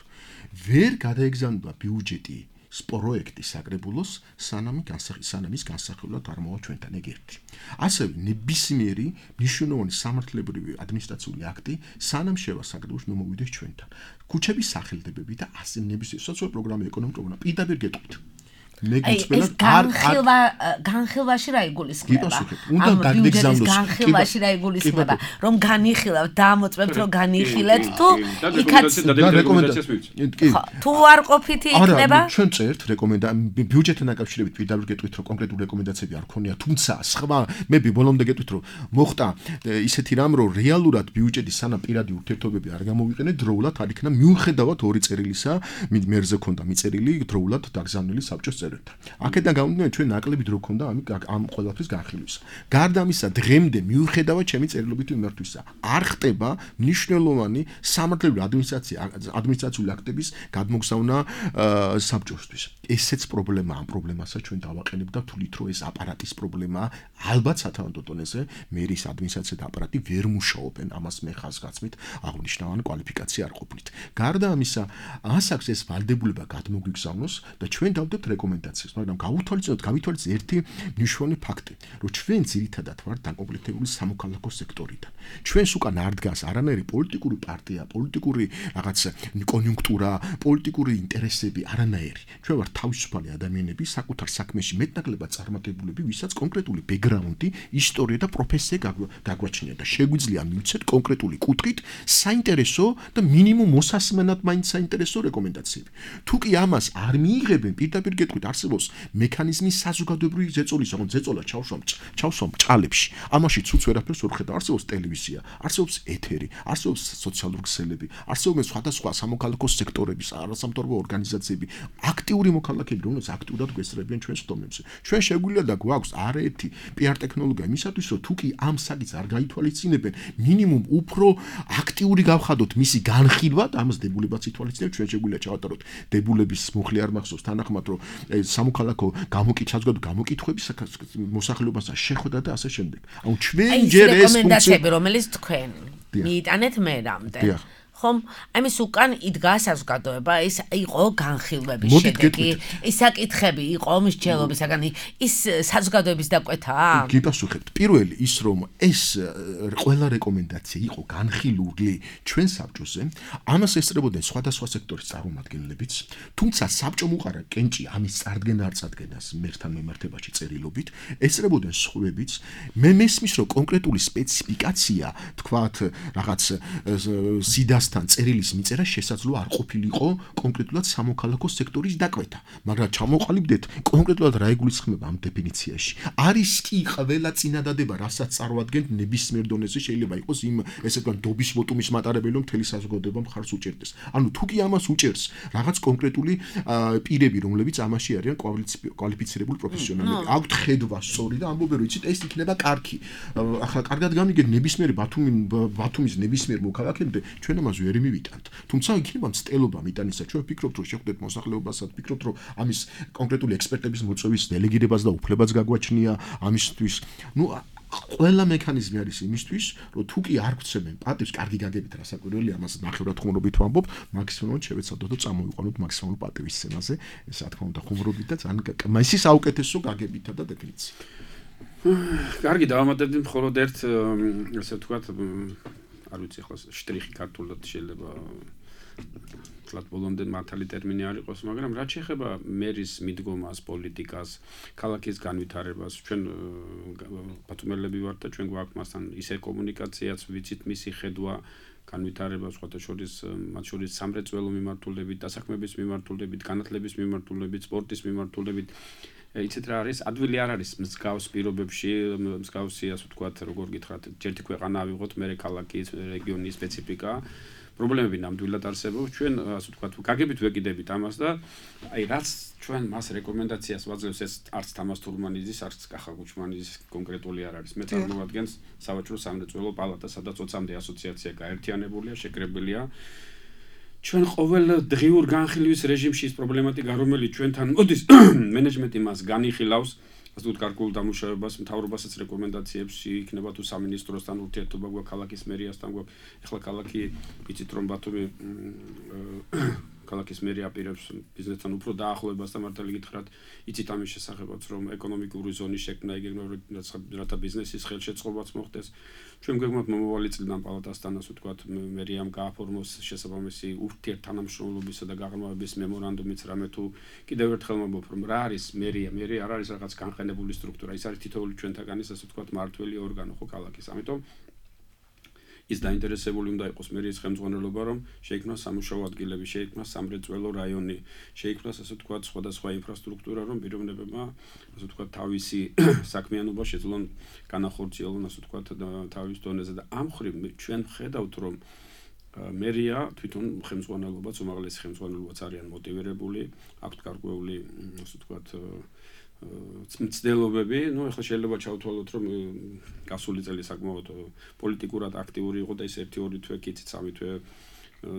ვერ გადაეგზავნება ბიუჯეტი პროექტი საკრებულოს სანამ სანამის განსახილვად არ მოვა ჩვენთან ეგ ერთი. ასევე ნებისმიერი მნიშვნელოვანი სამართლებრივი ადმინისტრაციული აქტი სანამ შევა საკრებულოს მომოვიდეს ჩვენთან. ქუჩების სახელდებები და ასე ნებისმიერი სოციალური პროგრამა, ეკონომიკური პროგრამა პირდაპირ გეტყვით. მე გწმენად არ განხილვა განხილვაში რა იგულისხმება? უნდა გადაგეგზავნოს განხილვაში რა იგულისხმება? რომ განიხილავთ, დამოწმებთ რომ განიხილეთ თუ იქაც რეკომენდაციას მივიწევთ. თუ არ ყოფითი იქნება? არა, ჩვენ წერთ რეკომენდაცია ბიუჯეტთან დაკავშირებით პირდაპირ გეტყვით რომ კონკრეტული რეკომენდაციები არ ქონია, თუმცა სხვა მე ბოლომდე გეტყვით რომ მოხდა ისეთი რამ რომ რეალურად ბიუჯეტის სანამ პირადი ურთიერთობები არ გამოვიყენე დროულად არ იქნა მიუხედავად ორი წერილისა მერზე ქონდა მიწერილი დროულად დაგზავნილი საბჭოს აქედან გამომდინარე ჩვენ ნაკლები დრო ქონდა ამ ამ ყველაფრის განხილვისა. გარდა ამისა, დღემდე მიუხედავად ჩემი წერილობითი მიმართვისა, არ ხდება მნიშვნელოვანი სამართლებრივი ადმინისტრაცია ადმინისტრაციული აქტების გადმოგზავნა საბჭოსთვის. ესეც პრობლემაა, ამ პრობლემასაც ჩვენ დავაყენებ და ვთვლით, რომ ეს აპარატის პრობლემაა. ალბათ სათავადო დონეზე მერის ადმინისტრაცია და აპარატი ვერ მუშაობენ, ამას მე ხაზგასმით აღნიშნავენ კვალიფიკაცია არ ყოფნით. გარდა ამისა, ასაკს ეს ვალდებულება გადმოგვიგზავნოს და ჩვენ დავდებთ რეკომენდაციას, მაგრამ გავითვალისწინოთ, გავითვალისწინოთ ერთი მნიშვნელოვანი ფაქტი, რომ ჩვენ ძირითადად ვართ დაკომპლექტებული სამოქალაქო სექტორიდან. ჩვენს უკან არ დგას არანაირი პოლიტიკური პარტია, პოლიტიკური რაღაც კონიუნქტურა, პოლიტიკური ინტერესები, არანაირი. ჩვენ ვართ თავისუფალი ადამიანები, საკუთარ საქმეში მეტნაკლებად წარმატებულები, ვისაც კონკრეტული ბექგრაუნდი, ისტორია და პროფესია გაგვაჩნია და შეგვიძლია მივცეთ კონკრეტული კუთხით საინტერესო და მინიმუმ მოსასმენად მაინც საინტერესო რეკომენდაციები. თუ კი ამას არ მიიღებენ, პირდაპირ გეტყვით, არსებობს მექანიზმი საზოგადოებრივი ზეწოლის, ანუ ზეწოლა ჩავსვამ ჩავსვამ ჭალებში. ამაში ცუც ვერაფერს ვერ ხედავ. არსებობს ტელევიზია, არსებობს ეთერი, არსებობს სოციალური ქსელები, არსებობენ სხვადასხვა სამოქალაქო სექტორების, არასამთავრობო ორგანიზაციები, აქტიური მოქალაქეები, რომლებიც აქტიურად გვესწრებიან ჩვენს ხდომებზე. ჩვენ შეგვიძლია და გვაქვს არაერთი პიარ ტექნოლოგია იმისათვის, რომ თუ კი ამ საკითხს არ გაითვალისწინებენ, მინიმუმ უფრო აქტიური გავხადოთ მისი განხილვა და ამას დებულებაც ითვალისწინებთ, ჩვენ შეგვიძლია ჩავატაროთ დებულების მუხლი არ მახსოვს თანახმად, რომ სამოქალაქო გამოკითხვა გამოკითხვების მოსახლეობასა შეხვდა და ასე შემდეგ. ანუ ჩვენ ჯერ ეს რეკომენდაციები, რომელიც თქვენ მიიტანეთ მერამდე. ხომ, ამის უკან იდგა საზოგადოება, ის იყო განხილვების შედეგი, ის საკითხები იყო მსჯელობისაგან, ის საზოგადოების დაკვეთაა? გიპასუხებთ. პირველი ის რომ ეს ყველა რეკომენდაცია იყო განხილული ჩვენ საბჭოზე, ამას ესწრებოდნენ სხვადასხვა სექტორის წარმომადგენლებიც, თუმცა საბჭომ უყარა კენჭი ამის წარდგენა არ წარდგენას მერთან მემართებაში წერილობით, ესწრებოდნენ სხვებიც. მე მესმის რომ კონკრეტული სპეციფიკაცია, თქვათ, რაღაც სიდას თან წერილის მიწერა შესაძლოა არ ყოფილიყო კონკრეტულად სამოქალაქო სექტორის დაკვეთა, მაგრამ ჩამოყალიბდეთ კონკრეტულად რა იგულისხმება ამ დეფინიციაში. არის კი ყველა წინადადება, რასაც წარმოადგენთ ნებისმიერ დონეზე შეიძლება იყოს იმ ესე ვთქვათ დობის ვოტუმის მატარებელი, რომ მთელი საზოგადოება მხარს უჭერდეს. ანუ თუ კი ამას უჭერს რაღაც კონკრეტული პირები, რომლებიც ამაში არიან კვალიფიცირებული პროფესიონალები. აქვთ ხედვა სწორი და ამბობენ, რომ იცით, ეს იქნება კარგი. ახლა კარგად გამიგეთ ნებისმიერ ბათუმი ბათუმის ნებისმიერ მოქალაქემდე ჩვენ ამას ვერ მივიტანთ. თუმცა იქნება მცდელობა მიტანისა. ჩვენ ვფიქრობთ, რომ შეხვდეთ მოსახლეობასაც, ვფიქრობთ, რომ ამის კონკრეტული ექსპერტების მოწვევის დელეგირებას და უფლებაც გაგვაჩნია ამისთვის. ნუ ყველა მექანიზმი არის იმისთვის, რომ თუ კი არ გვცემენ პატივს, კარგი გაგებით რასაკვირველი, ამას ნახევრად ხუმრობით ვამბობ, მაქსიმუმად შევეცადოთ და წამოვიყვანოთ მაქსიმალურ პატივის სცენაზე, ეს რა თქმა უნდა ხუმრობით და ძალიან მასის საუკეთესო გაგებითა და დეფინიციით. კარგი, დავამატებდი მხოლოდ ერთ ესე ვთქვათ არ ვიცი ახლა შტრიხი ქართულად შეიძლება თლათ ბოლომდე მართალი ტერმინი არ იყოს, მაგრამ რაც შეეხება მერის მიდგომას, პოლიტიკას, ქალაქის განვითარებას, ჩვენ ბათუმელები ვართ და ჩვენ გვაქვს მასთან ისე კომუნიკაციაც, ვიცით მისი ხედვა განვითარებას, სხვათა შორის მათ შორის სამრეწველო მიმართულებით, დასაქმების მიმართულებით, განათლების მიმართულებით, სპორტის მიმართულებით. იცით რა არის, ადვილი არ არის მსგავს პირობებში, მსგავსი ასე ვთქვათ, როგორ გითხრათ, ერთი ქვეყანა ავიღოთ, მერე ქალაქის, რეგიონის სპეციფიკა. პრობლემები ნამდვილად არსებობს, ჩვენ ასე ვთქვათ, გაგებით ვეკიდებით ამას და აი რაც ჩვენ მას რეკომენდაციას ვაძლევს, ეს არც თამას თურმანიძის, არც კახა გუჩმანიძის კონკრეტული არ არის. მე წარმოვადგენს სავაჭრო სამრეწველო პალატა, სადაც ოცამდე ასოციაცია გაერთიანებულია, შეკრებილია. ჩვენ ყოველ დღიურ განხილვის რეჟიმში ის პრობლემატიკა, რომელიც ჩვენთან მოდის, მენეჯმენტი მას განიხილავს, ასე ვთქვათ, გარკვეულ დამუშავებას, მთავრობასაც რეკომენდაციებს იქნება თუ სამინისტროსთან ურთიერთობა გვაქვს, ქალაქის მერიასთან გვაქვს. ეხლა ქალაქი იცით რომ ბათუმი ქალაქის მერი აპირებს ბიზნესთან უფრო დაახლოებას და მართალი გითხრათ, იცით ამის შესახებაც, რომ ეკონომიკური ზონის შექმნა იგეგმება, რათა ბიზნესის ხელშეწყობაც მოხდეს. ჩვენ გვეგმოთ მომავალი წლიდან პალატასთან, ასე ვთქვათ, მერიამ გააფორმოს შესაბამისი ურთიერთთანამშრომლობისა და გაღრმავების მემორანდუმიც, რამე თუ კიდევ ერთხელ მომბობ, რომ რა არის მერია, მერია არ არის რაღაც განყენებული სტრუქტურა, ის არის თითოეული ჩვენთაგანის, ასე ვთქვათ, მართველი ორგანო ხო ქალაქის. ამიტომ ის დაინტერესებული უნდა იყოს მერიის ხელმძღვანელობა, რომ შეიქმნას სამუშაო ადგილები, შეიქმნას სამრეწველო რაიონი, შეიქმნას ასე ვთქვათ სხვადასხვა ინფრასტრუქტურა, რომ პიროვნებებმა ასე ვთქვათ თავისი საქმიანობა შეძლონ განახორციელონ ასე ვთქვათ თავის დონეზე და ამ მხრივ ჩვენ ვხედავთ, რომ მერია თვითონ ხელმძღვანელობაც, უმაღლესი ხელმძღვანელობაც არიან მოტივირებული, აქვთ გარკვეული ასე ვთქვათ მცდელობები, ну, ახლა შეიძლება ჩავთვალოთ, რომ გასული წელი საკმაოდ პოლიტიკურად აქტიური იყო და ის ერთი ორი თვე კი სამი თვე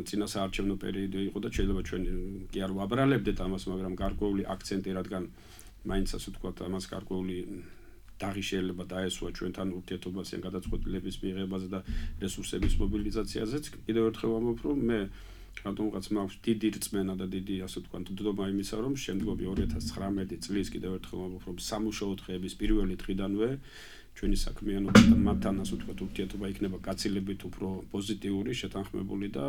წინასაარჩევნო პერიოდი იყო და შეიძლება ჩვენ კი არ ვაბრალებდეთ ამას, მაგრამ გარკვეული აქცენტი, რადგან მაინც ასე ვთქვათ, ამას გარკვეული დაღი შეიძლება დაესვა ჩვენთან ურთიერთობაზე, გადაწყვეტილების მიღებაზე და რესურსების მობილიზაციაზეც. კიდევ ერთხელ ვამბობ, რომ მე რატომღაც მაქვს დიდი რწმენა და დიდი ასე ვთქვათ დდობა იმისა, რომ შემდგომი ორი ათას ცხრამეტი წლის კიდევ ერთხელ ვამბობ, რომ სამუშაო დღეების პირველი დღიდანვე ჩვენი საქმიანობა და მათთან ასე ვთქვათ ურთიერთობა იქნება გაცილებით უფრო პოზიტიური, შეთანხმებული და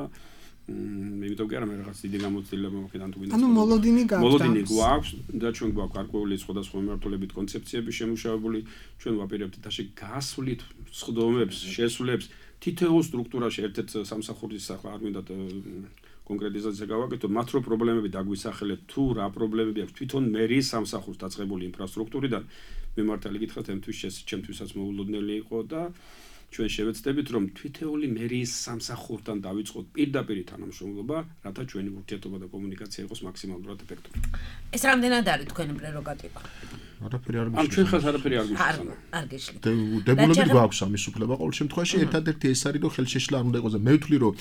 იმიტომ კი არა მე რაღაც დიდი გამოცდილება მოგიდან თუ გინდა. ანუ მოლოდინი გაქვს. მოლოდინი გვაქვს და ჩვენ გვაქვს გარკვეული სხვადასხვა მიმართულებით კონცეფციები შემუშავებული, ჩვენ ვაპირებთ თაში გასვლით სხდომებს, შესვლებს თითოეულ სტრუქტურაში ერთ-ერთ სამსახურის ახლა არ მინდა კონკრეტიზაცია გავაკეთო, მათ რო პრობლემები დაგვისახელეთ, თუ რა პრობლემები აქვს თვითონ მერის სამსახურს დაწყებული ინფრასტრუქტურიდან, მე მართალი გითხრათ, ჩემთვის ჩემთვისაც მოულოდნელი იყო და ჩვენ შევეცდებით, რომ თვითეული მერის სამსახურთან დავიწყოთ პირდაპირ თანამშრომლობა, რათა ჩვენი ურთიერთობა და კომუნიკაცია იყოს მაქსიმალურად ეფექტური. ეს რამდენად არის თქვენი პრეროგატივა? არაფერი არ ამ ჩვენ ხალხს არაფერი არ გვიშლის. არ გიშლით. დებულებით გვაქვს ამის უფლება ყოველ შემთხვევაში, ერთადერთი ეს არის, რომ ხელშეშლა არ უნდა იყოს და მე ვთვლი, რომ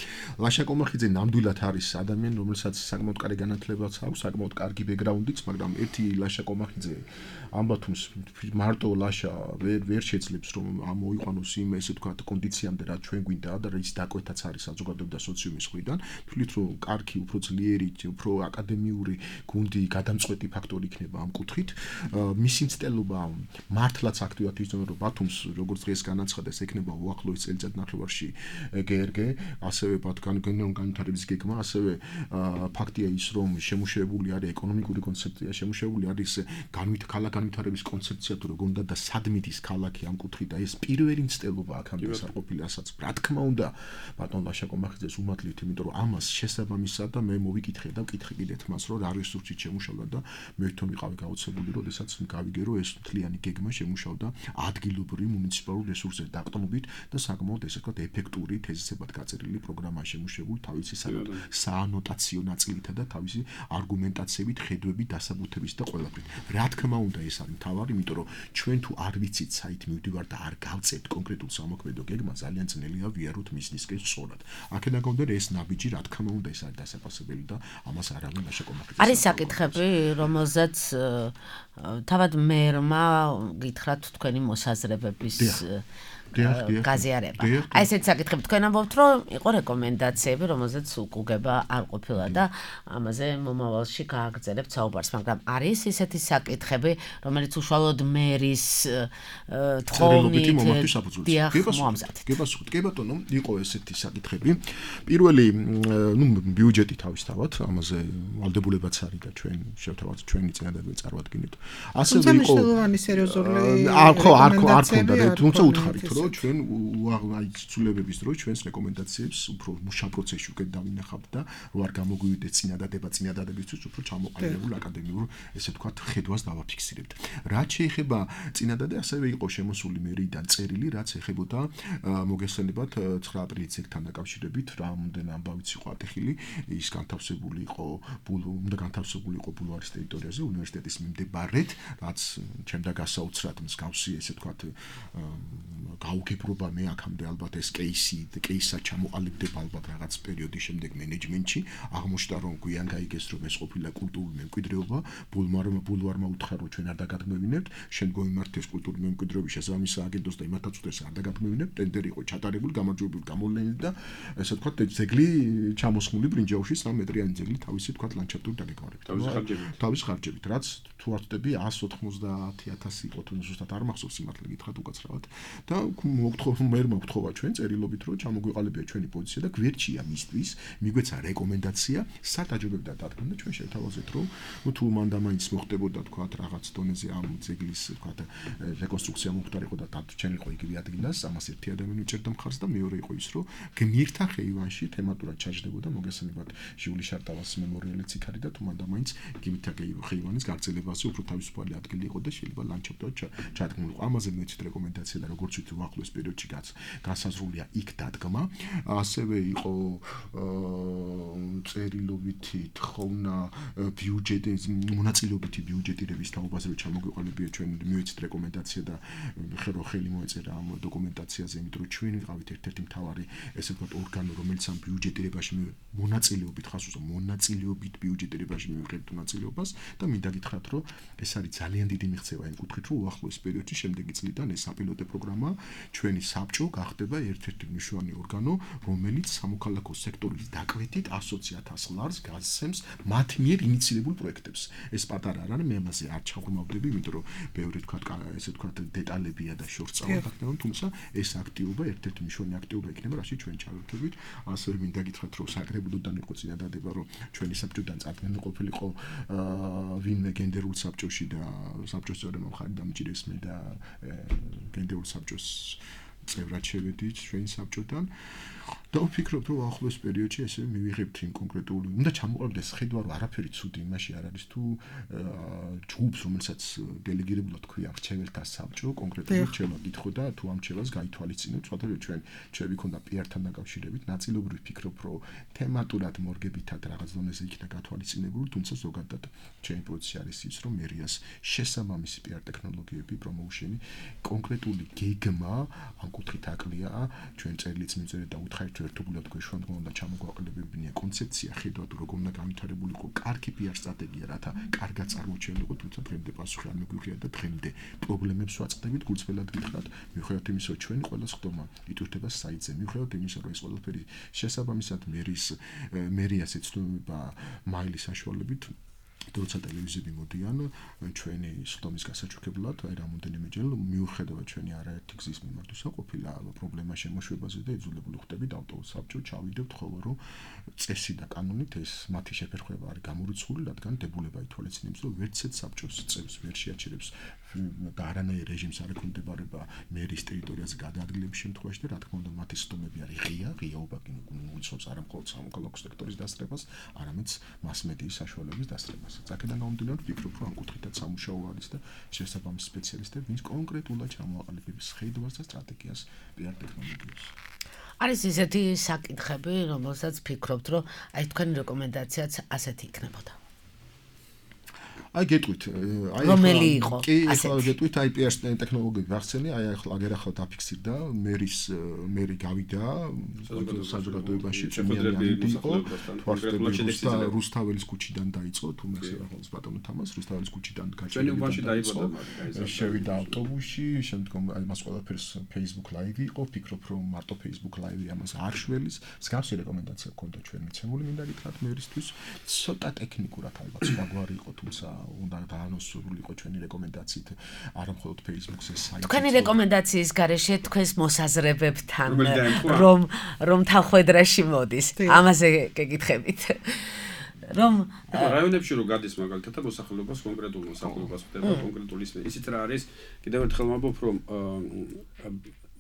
ლაშა კომახიძე ნამდვილად არის ადამიანი, რომელსაც საკმაოდ კარგი განათლებაც აქვს, საკმაოდ კარგი ბექგრაუნდიც, მაგრამ ერთი ლაშა კომახიძე ამბათუმს მარტო ლაშა ვერ ვერ შეძლებს, რომ მოიყვანოს იმ ესე ვთქვათ კონდიციამდე, რა ჩვენ გვინდა და ის დაკვეთაც არის საზოგადოება და სოციუმის მხრიდან, თვლით, რომ კარგი, უფრო ძლიერი, უფრო აკადემიური გუნდი გადამწყვეტი ფაქტორი იქნება ამ კუთხით. მისი მცდელობა მართლაც აქტიურად იცნობა, რომ ბათუმს როგორც დღეს განაცხადეს, ექნება უახლოეს წელიწად ნახევარში გე ер გე, ასევე ბათუმგან განვითარების გეგმა, ასევე ფაქტია ის, რომ შემუშავებული არის ეკონომიკური კონცეფცია, შემუშავებული არის განვით ქალაქ განვითარების კონცეფცია, თუ როგორ უნდა და სადმითის ქალაქი ამ კუთხით და ეს პირველი მცდელობა აქამდე არ ყოფილა, ასაც რა თქმა უნდა ბატონ ლაშა კომახიძეს უმადლით, იმიტომ რომ ამას შესაბამისად და მე მოვიკითხე და ვკითხე კიდეთ მას, რომ რა რესურსით შემუშავდა და მე თვითონ ვიყავი გაოცებული, როდესაც გავიგე, რომ ეს მთლიანი გეგმა შემუშავდა ადგილობრივ მუნიციპალურ რესურსებზე დაყრდნობით და საკმაოდ ესე ვთქვათ ეფექტური თეზისებად გაწერილი პროგრამა შემუშავებული თავისი საანოტაციო ნაწილითა და თავისი არგუმენტაციებით, ხედვებით, დასაბუთებით და ყველაფრით. რა თქმა უნდა ეს არის მთავარი, იმიტომ რომ ჩვენ თუ არ ვიცით საით მივდივარ და არ გავწევთ კონკრეტულ სამოქმედო გეგმას, ძალიან ძნელია ვიაროთ მის ნისკენ სწორად. აქედან გამომდინარე ეს ნაბიჯი, რა თქმა უნდა ეს არის დასაფასებელი და ამას არავინ არ შეკომახებს. არის საკითხები, რომელზეც თავად მერმა გითხრათ თქვენი მოსაზრებების გაზიარება. აი ესეთ საკითხები თქვენ ამბობთ, რომ იყო რეკომენდაციები, რომელზეც უკუგება არ ყოფილა და ამაზე მომავალში გააგრძელებთ საუბარს, მაგრამ არის ისეთი საკითხები, რომელიც უშუალოდ მერის თხოვნით გებასუხეთ. გებასუხეთ. კი ბატონო, იყო ესეთი საკითხები. პირველი, ნუ ბიუჯეტი თავისთავად, ამაზე ვალდებულებაც არის და ჩვენ შევთავაზეთ ჩვენი წინადადება წარვადგინეთ. ასევე იყო მნიშვნელოვანი სერიოზული არ ხო არ ხო არ ქონდა, თუმცა უთხარით რომ ჩვენ აი ცვლილებების დროს ჩვენს რეკომენდაციებს უფრო მუშა პროცესში უკეთ დავინახავთ და რო არ გამოგვივიდეს წინადადება წინადადებისთვის უფრო ჩამოყალიბებულ აკადემიურ ესე ვთქვათ ხედვას დავაფიქსირებთ. რაც შეეხება წინადადე, ასევე იყო შემოსული მერიდან წერილი, რაც ეხებოდა მოგესალმებათ ცხრა აპრილის ეკთან დაკავშირებით, რამდენი ამბავიც იყო ატეხილი, ის განთავსებული იყო უნდა განთავსებული იყო ბულვარის ტერიტორიაზე უნივერსიტეტის მიმდებარედ, რაც ჩემდა გასაოცრად მსგავსი ესე ვთქვათ გაუგებრობა მე აქამდე ალბათ ეს кейსი, кейსა ჩამოყალიბდება ალბათ რაღაც პერიოდის შემდეგ მენეჯმენტში, აღმოჩნდა რომ გვიან გაიგეს რომ ეს ყოფილა კულტურული მემკვიდრეობა, ბულვარმა ბულვარმა უთხრა რომ ჩვენ არ დაგაგმევინებთ, შემდგომ იმართეს კულტურული მემკვიდრეობის შესაბამისი სააგენტოს და იმათაც უთეს არ დაგაგმევინებთ, ტენდერი იყო ჩატარებული, გამარჯვებული გამოვლენილი და ესე ვთქვათ ძეგლი ჩამოსხმული ბრინჯაოში სამი მეტრიანი ძეგლი თავისი ვთქვათ ლანდშაფტური დაგეგმარებით. თავის ხარჯებით. თავის ხარჯებით, რაც თუ არ ვთქვი εκατს ოთხმოცდაათი ათასი იყო თუ ზუსტად არ მახსოვს იმართლე გითხრათ უკაცრავად და მოგთხოვ მე მოგთხოვა ჩვენ წერილობით რომ ჩამოგვიყალიბია ჩვენი პოზიცია და გვერდშია მისთვის მიგვეცა რეკომენდაცია სადაჯობებდა დადგმა და ჩვენ შევთავაზეთ რომ თუ მან და მაინც მოხდებოდა თქვათ რაღაც დონეზე ამ ძეგლის თქვათ რეკონსტრუქცია მომხდარიყო და დარჩენილიყო იგივე ადგილას ამას ერთი ადამიანი უჭერდა მხარს და მეორე იყო ის რომ გმირთა ხეივანში თემატურად ჩაჯდებოდა მოგესალმებათ ჟიული შარტავას მემორიალიც იქ არის და თუ მან და მაინც გმირთა ხეივანის გაგრძელებაზე უფრო თავისუფალი ადგილი იყო და შეიძლება ლანდშაფტად ჩადგმულიყო ამაზე მეცით რეკომენდაცია და როგორც ვთქვი უახლოეს პერიოდში გასაზრულია იქ დადგმა, ასევე იყო წერილობითი თხოვნა ბიუჯეტის მონაწილეობითი ბიუჯეტირების თაობაზე რომ ჩამოგვიყალიბია ჩვენ მივეცით რეკომენდაცია და ხელო ხელი მოეწერა ამ დოკუმენტაციაზე, იმიტომ რომ ჩვენ ვიყავით ერთ-ერთი მთავარი ესე ვთქვათ ორგანო, რომელიც ამ ბიუჯეტირებაში მონაწილეობით ხას უსო მონაწილეობით ბიუჯეტირებაში მივიღებთ მონაწილეობას და მინდა გითხრათ რომ ეს არის ძალიან დიდი მიღწევა იმ კუთხით რომ უახლოეს პერიოდში შემდეგი წლიდან ეს საპილოტო პროგრამა ჩვენი საბჭო გახდება ერთ-ერთი მნიშვნელოვანი ორგანო, რომელიც სამოქალაქო სექტორის დაკვეთით ასოციათას ლარს გასცემს მათ მიერ ინიციირებულ პროექტებს. ეს პატარა არ არის, მე ამაზე არ ჩაღრმავდები, იმიტომ რომ ბევრი თქვა ესე თქვა დეტალებია და შორს წავაგდებ, თუმცა ეს აქტივობა ერთ-ერთი მნიშვნელოვანი აქტივობა იქნება, რაში ჩვენ ჩავერთვებით. ასევე მინდა გითხრათ, რომ საკრებულოდან იყო წინადადება, რომ ჩვენი საბჭოდან წარდგენილი ყოფილიყო ვინმე გენდერულ საბჭოში და საბჭოს წევრებმა მხარი დამჭირეს მე და გენდერულ საბჭოს წევრად შევედით ჩვენი საბჭოდან. და ვფიქრობ, რომ ახლოს პერიოდში ესე მივიღებთ იმ კონკრეტული, უნდა ჩამოყალიბდეს ხედვა, რომ არაფერი ცუდი იმაში არ არის თუ ჯგუფს, რომელსაც დელეგირებულად ქვია რჩეველთა საბჭო, კონკრეტული რჩევა გითხო და თუ ამ რჩევას გაითვალისწინებთ, სხვადასხვა ჩვენ ჩვენი ქონდა პი-ართან დაკავშირებით, ნაწილობრივ ვფიქრობ, რომ თემატურად მორგებითად რაღაც დონეზე იქნა გათვალისწინებული, თუმცა ზოგადად ჩვენი პოზიცია არის ის, რომ მერიას შესაბამისი პი-არ ტექნოლოგიები, პრომოუშენი, კონკრეტული გეგმა ამ კუთხით აკლია, ჩვენ წერილიც მივწერეთ და უთხარით ერთობულად გვეშვა რომ უნდა ჩამოგვაყალიბებინია კონცეფცია, ხედვა თუ როგორ უნდა განვითარებულიყო კარგი პი-არ სტრატეგია, რათა კარგად წარმოჩენილიყო, თუმცა დღემდე პასუხი არ მიგვიღია და დღემდე პრობლემებს ვაწყდებით, გულწრფელად გითხრათ, მიუხედავად იმისა, რომ ჩვენი ყველა სხდომა იტვირთება საიტზე, მიუხედავად იმისა, რომ ეს ყველაფერი შესაბამისად მერის მერიას ეცნობა მაილის საშუალებით როცა ტელევიზიები მოდიან ჩვენი სხდომის გასაჩუქებლად, აი რამოდენიმეჯერ მიუხედავად ჩვენი არაერთი გზის მიმართვისა ყოფილა პრობლემა შემოშვებაზე და იძულებული ხდებით ავტობუს საბჭო ჩავიდებთ, ხოლო რომ წესი და კანონით ეს მათი შეფერხება არის გამორიცხული, რადგან დებულება ითვალისწინებს, რომ ვერცეთ საბჭოს წევს ვერ შეაჩერებს და არანაირ რეჟიმს არ ექვემდებარება მერის ტერიტორიაზე გადაადგილების შემთხვევაში და რა თქმა უნდა მათი სხდომები არის ღია, ღიაობა კი უიცნობს არა მხოლოდ სამოქალაქო სექტორის დასწრებას, არამედ მას-მედიის საშუალების დასწრებას. აქედან გამომდინარე ვფიქრობ, რომ ამ კუთხითაც სამუშაო არის და შესაბამის სპეციალისტები, ვინც კონკრეტულად ჩამოაყალიბებს ხედვას და სტრატეგიას პი-არ ტექნოლოგიას. არის ისეთი საკითხები, რომელსაც ფიქრობთ, რომ აი თქვენი რეკომენდაციაც ასეთი იქნებოდა. აი გეტყვით, აი რომელი იყო? კი, ახლა გეტყვით, აი პი-არ ტექნოლოგიები ვახსენე, აი ახლა აგერ ახლა დაფიქსირდა, მერის მერი გავიდა საზოგადოებაში, წმინდანი იყო, თვარსტები რუსთაველის ქუჩიდან დაიწყო, თუ მე ახალს ბატონო თამას რუსთაველის ქუჩიდან გაჩერდა. შევიდა ავტობუსში, შემდგომ აი მას ყველაფერს Facebook Live იყო, ფიქრობ რომ მარტო Facebook Live-ი ამას არ შველის, მსგავსი რეკომენდაცია ჰქონდა ჩვენ მიცემული, მინდა გითხრათ მერისთვის, ცოტა ტექნიკურად ალბათ სხვაგვარი იყო, თუმცა უნდა დაანონსებულიყო ჩვენი რეკომენდაციით არა მხოლოდ Facebook-ზე საიტზე. თქვენი რეკომენდაციის გარეშე თქვენს მოსაზრებებთან რომ რომ თანხმედრაში მოდის. ამაზე გეკითხებით. რომ რაიონებში რო გადის მაგალითად მოსახლეობას კონკრეტულ მოსახლეობას ხდება კონკრეტული ისიც რა არის კიდევ ერთხელ ვამბობ რომ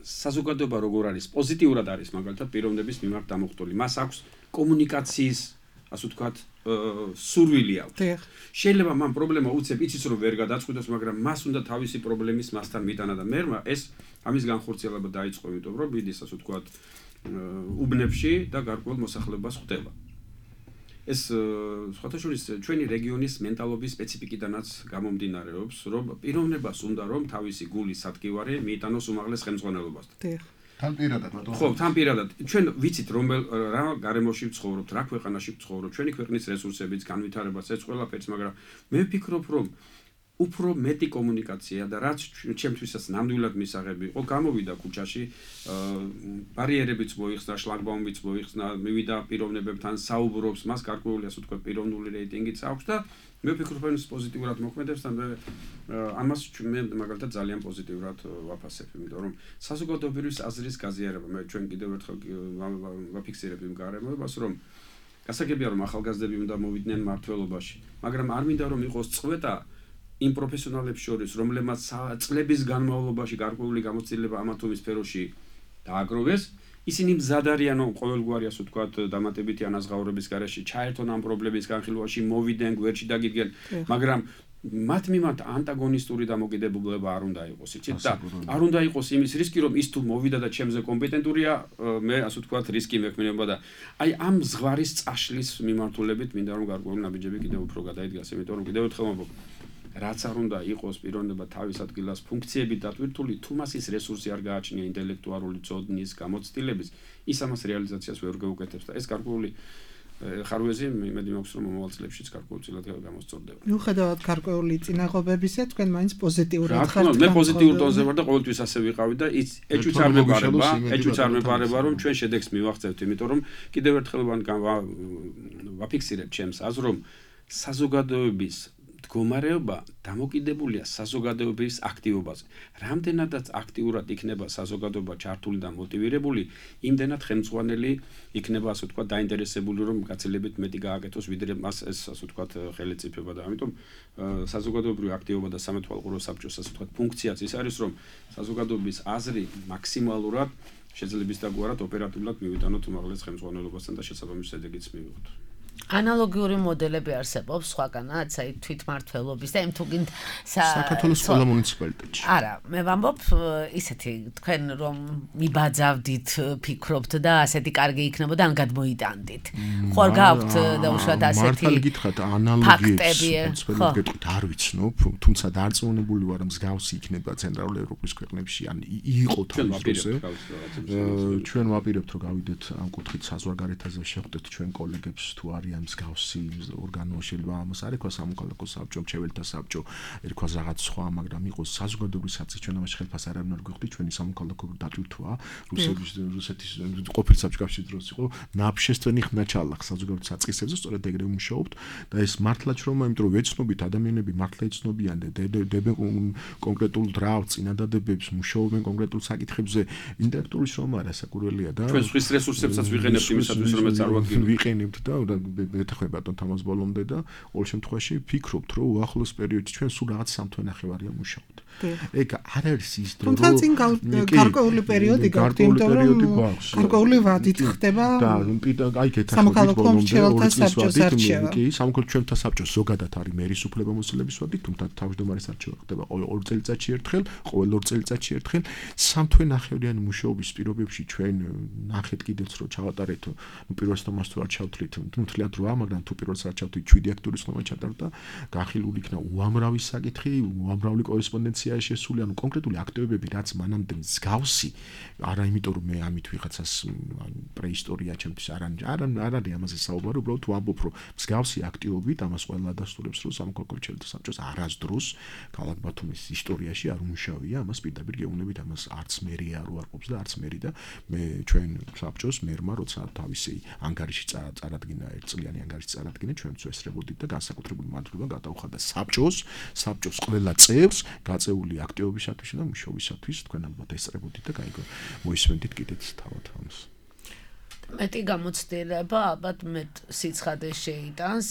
საზოგადოება როგორ არის პოზიტიურად არის მაგალითად პიროვნების მიმართ დამოხტული. მას აქვს კომუნიკაციის ასე ვთქვათ სურვილი აქვს. შეიძლება მან პრობლემა უცებ იცის რომ ვერ გადაწყვიტოს, მაგრამ მას უნდა თავისი პრობლემის მასთან მიტანა და მერმა ეს ამის განხორციელება დაიწყო, იმიტომ რომ მიდის ასე ვთქვათ უბნებში და გარკვეულ მოსახლეობას ხვდება. ეს სხვათა შორის ჩვენი რეგიონის მენტალობის სპეციფიკიდანაც გამომდინარეობს, რომ პიროვნებას უნდა რომ თავისი გულის სადგივარი მიიტანოს უმაღლეს ხელმძღვანელობასთან. თან პირადად ბატონო. ხო, თან პირადად. ჩვენ ვიცით რომელ რა გარემოში ვცხოვრობთ, რა ქვეყანაში ვცხოვრობთ, ჩვენი ქვეყნის რესურსებიც, განვითარებაც, ეს ყველაფერს, მაგრამ მე ვფიქრობ, რომ უფრო მეტი კომუნიკაცია და რაც ჩემთვისაც ნამდვილად მისაღები იყო, გამოვიდა ქუჩაში, ბარიერებიც მოიხსნა, შლაგბაუმიც მოიხსნა, მივიდა პიროვნებებთან საუბრობს, მას გარკვეული ასე ვთქვათ პიროვნული რეიტინგიც აქვს და მე ვფიქრობ, რომ ეს პოზიტიურად მოქმედებს და მე ამას მე მაგალითად ძალიან პოზიტიურად ვაფასებ, იმიტომ რომ საზოგადოებრივი აზრის გაზიარება, მე ჩვენ კიდევ ერთხელ ვაფიქსირებ იმ გარემოებას, რომ გასაგებია რომ ახალგაზრდები უნდა მოვიდნენ მმართველობაში, მაგრამ არ მინდა რომ იყოს წვეტა იმ პროფესიონალებს შორის, რომლებმაც წლების განმავლობაში გარკვეული გამოცდილება ამა თუ იმ სფეროში დააგროვეს, ისინი მზად არიან ყოველგვარი ასე ვთქვათ დამატებითი ანაზღაურების გარეშე ჩაერთონ ამ პრობლემის განხილვაში, მოვიდნენ, გვერდში დაგიდგნენ, მაგრამ მათ მიმართ ანტაგონისტური დამოკიდებულება არ უნდა იყოს, იცით და არ უნდა იყოს იმის რისკი, რომ ის თუ მოვიდა და ჩემზე კომპეტენტურია, მე ასე ვთქვათ რისკი მექმნება და აი ამ ზღვარის წაშლის მიმართულებით მინდა რომ გარკვეული ნაბიჯები კიდევ უფრო გადაიდგას, იმიტომ რომ კიდევ ერთხელ ვამბობ რაც არ უნდა იყოს პიროვნება თავის ადგილას ფუნქციებით დატვირთული, თუ მას ის რესურსი არ გააჩნია ინტელექტუალური წოდნის, გამოცდილების, ის ამას რეალიზაციას ვერ გაუკეთებს და ეს გარკვეული ხარვეზი იმედი მაქვს რომ მომავალ წლებშიც გარკვეულწილად გამოსწორდება. მიუხედავად გარკვეული წინაღობებისა, თქვენ მაინც პოზიტიურად ხართ. მე პოზიტიურ ტონზე ვარ და ყოველთვის ასე ვიყავი და ეჭვიც არ მეპარება, ეჭვიც არ მეპარება რომ ჩვენ შედეგს მივაღწევთ, იმიტომ რომ კიდევ ერთხელ ვაფიქსირებ ჩემს აზრს, რომ საზოგადოების მდგომარეობა დამოკიდებულია საზოგადოების აქტივობაზე. რამდენადაც აქტიურად იქნება საზოგადოება ჩართული და მოტივირებული, იმდენად ხელმძღვანელი იქნება ასე ვთქვათ დაინტერესებული რომ გაცილებით მეტი გააკეთოს ვიდრე მას ეს ასე ვთქვათ ხელისუფლება და ამიტომ საზოგადოებრივი აქტივობა და სამეთვალყურო საბჭოს ასე ვთქვათ ფუნქციაც ის არის რომ საზოგადოების აზრი მაქსიმალურად შეძლების და გვარად ოპერატიულად მივიტანოთ უმაღლეს ხელმძღვანელობასთან და შესაბამის შედეგიც მივიღოთ. ანალოგიური მოდელები არსებობს სხვაგანაც, აი თვითმმართველობის და იმ თუ გინდ საქართველოს ყველა მუნიციპალიტეტში. არა, მე ვამბობ ისეთი, თქვენ რომ მიბაძავდით, ფიქრობთ და ასეთი კარგი იქნებოდა, ან გადმოიტანდით. ხო არ გაქვთ დაუშვათ ასეთი მართალი გითხრათ, ანალოგიებს, ხო, გეტყვით, არ ვიცნობ, თუმცა დარწმუნებული ვარ, მსგავსი იქნება ცენტრალური ევროპის ქვეყნებში, ან იყო თავის დროზე. ჩვენ ვაპირებთ, რომ გავიდეთ ამ კუთხით საზღვარგარეთაზე, შეხვდეთ ჩვენ კოლეგებს თუ არის მსგავსი ორგანო შეიძლება ამას არ ეკვა სამოქალაქო საბჭო, მრჩეველთა საბჭო, ერქვა რაღაც სხვა, მაგრამ იყოს საზოგადოებრივი საბჭო, ჩვენ ამას ხელფას არ არ გვიხდით, ჩვენი სამოქალაქო დატვირთვა, რუსების რუსეთის ყოფილი საბჭოს კავშირის დროს იყო, ნაბშესტვენი ხნაჩალა საზოგადოებრივ საწყისებზე, სწორედ ეგრე ვმუშაობთ და ეს მართლაც რომ, იმიტომ რომ ვეცნობით ადამიანები მართლა იცნობიან და დებენ კონკრეტულ დრავ წინადადებებს, მუშაობენ კონკრეტულ საკითხებზე, ინტელექტუალური შრომა არასაკურველია და ჩვენ სხვის რესურსებსაც ვიყენებთ იმისათვის, რომ წარვადგინოთ. ვიყენებთ და მეთქვე ბატონ თამაზ ბოლომდე და ყოველ შემთხვევაში ვფიქრობთ რომ უახლოს პერიოდში ჩვენ სულ რაღაც სამთვე ნახევარია მუშაობთ. ეგ არ არის ის დრო რომ თუმცა წინ გარკვეული პერიოდი გაქვთ, იმიტომ რომ გარკვეული ვადით ხდება და აი სამოქალაქო მრჩეველთა საბჭოს არჩევა. კი, სამოქალაქო მრჩეველთა საბჭოს ზოგადად არის მერის უფლებამოსილების ვადი, თუმცა თავმჯდომარის არჩევა ხდება ყოველ ორ წელიწადში ერთხელ, ყოველ ორ წელიწადში ერთხელ. სამთვე ნახევრიანი მუშაობის პირობებში ჩვენ ნახეთ კიდეც რომ ჩავატარეთ, ნუ პირველ თომას თუ არ ჩავთვლით, ნუ თლიანად რვა, მაგრამ თუ პირველს არ ჩავთვლით შვიდი აქტურის ხმა ჩატარდა, გახილული იქნა უამრავი საკითხი, უამრავი კორესპონდენცია შესული, ანუ კონკრეტული აქტივობები, რაც მანამდე მსგავსი, არა იმიტომ რომ მე ამით ვიღაცას პრეისტორია ჩემთვის არ არ არ არის ამაზე საუბარი, უბრალოდ ვამბობ რომ მსგავსი აქტივობით ამას ყველა დასტურებს რომ სამოქალაქო მრჩეველთა საბჭოს არასდროს ქალაქ ბათუმის ისტორიაში არ უმუშავია, ამას პირდაპირ გეუბნებით, ამას არც მერი არ უარყოფს და არც მერი და მე ჩვენ საბჭოს მერმა როცა თავისი ანგარიში წარადგინა, ერთწლიანი ანგარიში წარადგინა, ჩვენც ესწრებოდით და განსაკუთრებული მადლობა გადაუხადა საბჭოს, საბჭოს ყველა წევრს გაწეული აქტივობისათვის და მუშაობისათვის, თქვენ ალბათ ესწრებოდით და გაიგო მოისმენთ კიდეც თავად ამას. მეტი გამოცდილება ალბათ მეტ სიცხადე შეიტანს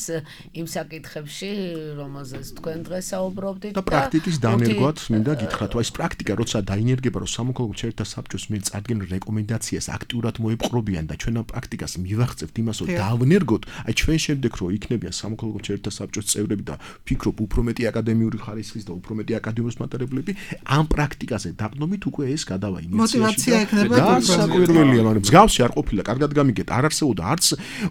იმ საკითხებში, რომელზეც თქვენ დღეს საუბრობდით და პრაქტიკის დანერგვაც მინდა გითხრათ, აი ეს პრაქტიკა როცა დაინერგება, რომ სამოქალაქო მრჩეველთა საბჭოს მე წარდგენ რეკომენდაციას აქტიურად მოეპყრობიან და ჩვენ ამ პრაქტიკას მივახცევთ იმას, რომ დავნერგოთ, აი ჩვენ შემდეგ რო იქნებიან სამოქალაქო მრჩეველთა საბჭოს წევრები და ფიქრობ უფრო მეტი აკადემიური ხარისხის და უფრო მეტი აკადემიოს მატარებლები, ამ პრაქტიკაზე დაყნობით უკვე ეს გადავა ინიციატივაში. მოტივაცია ექნება და საკურველია, მაგრამ მსგავსი არ ყოფილა, კარგად გამიგეთ, არ არსებობდა არც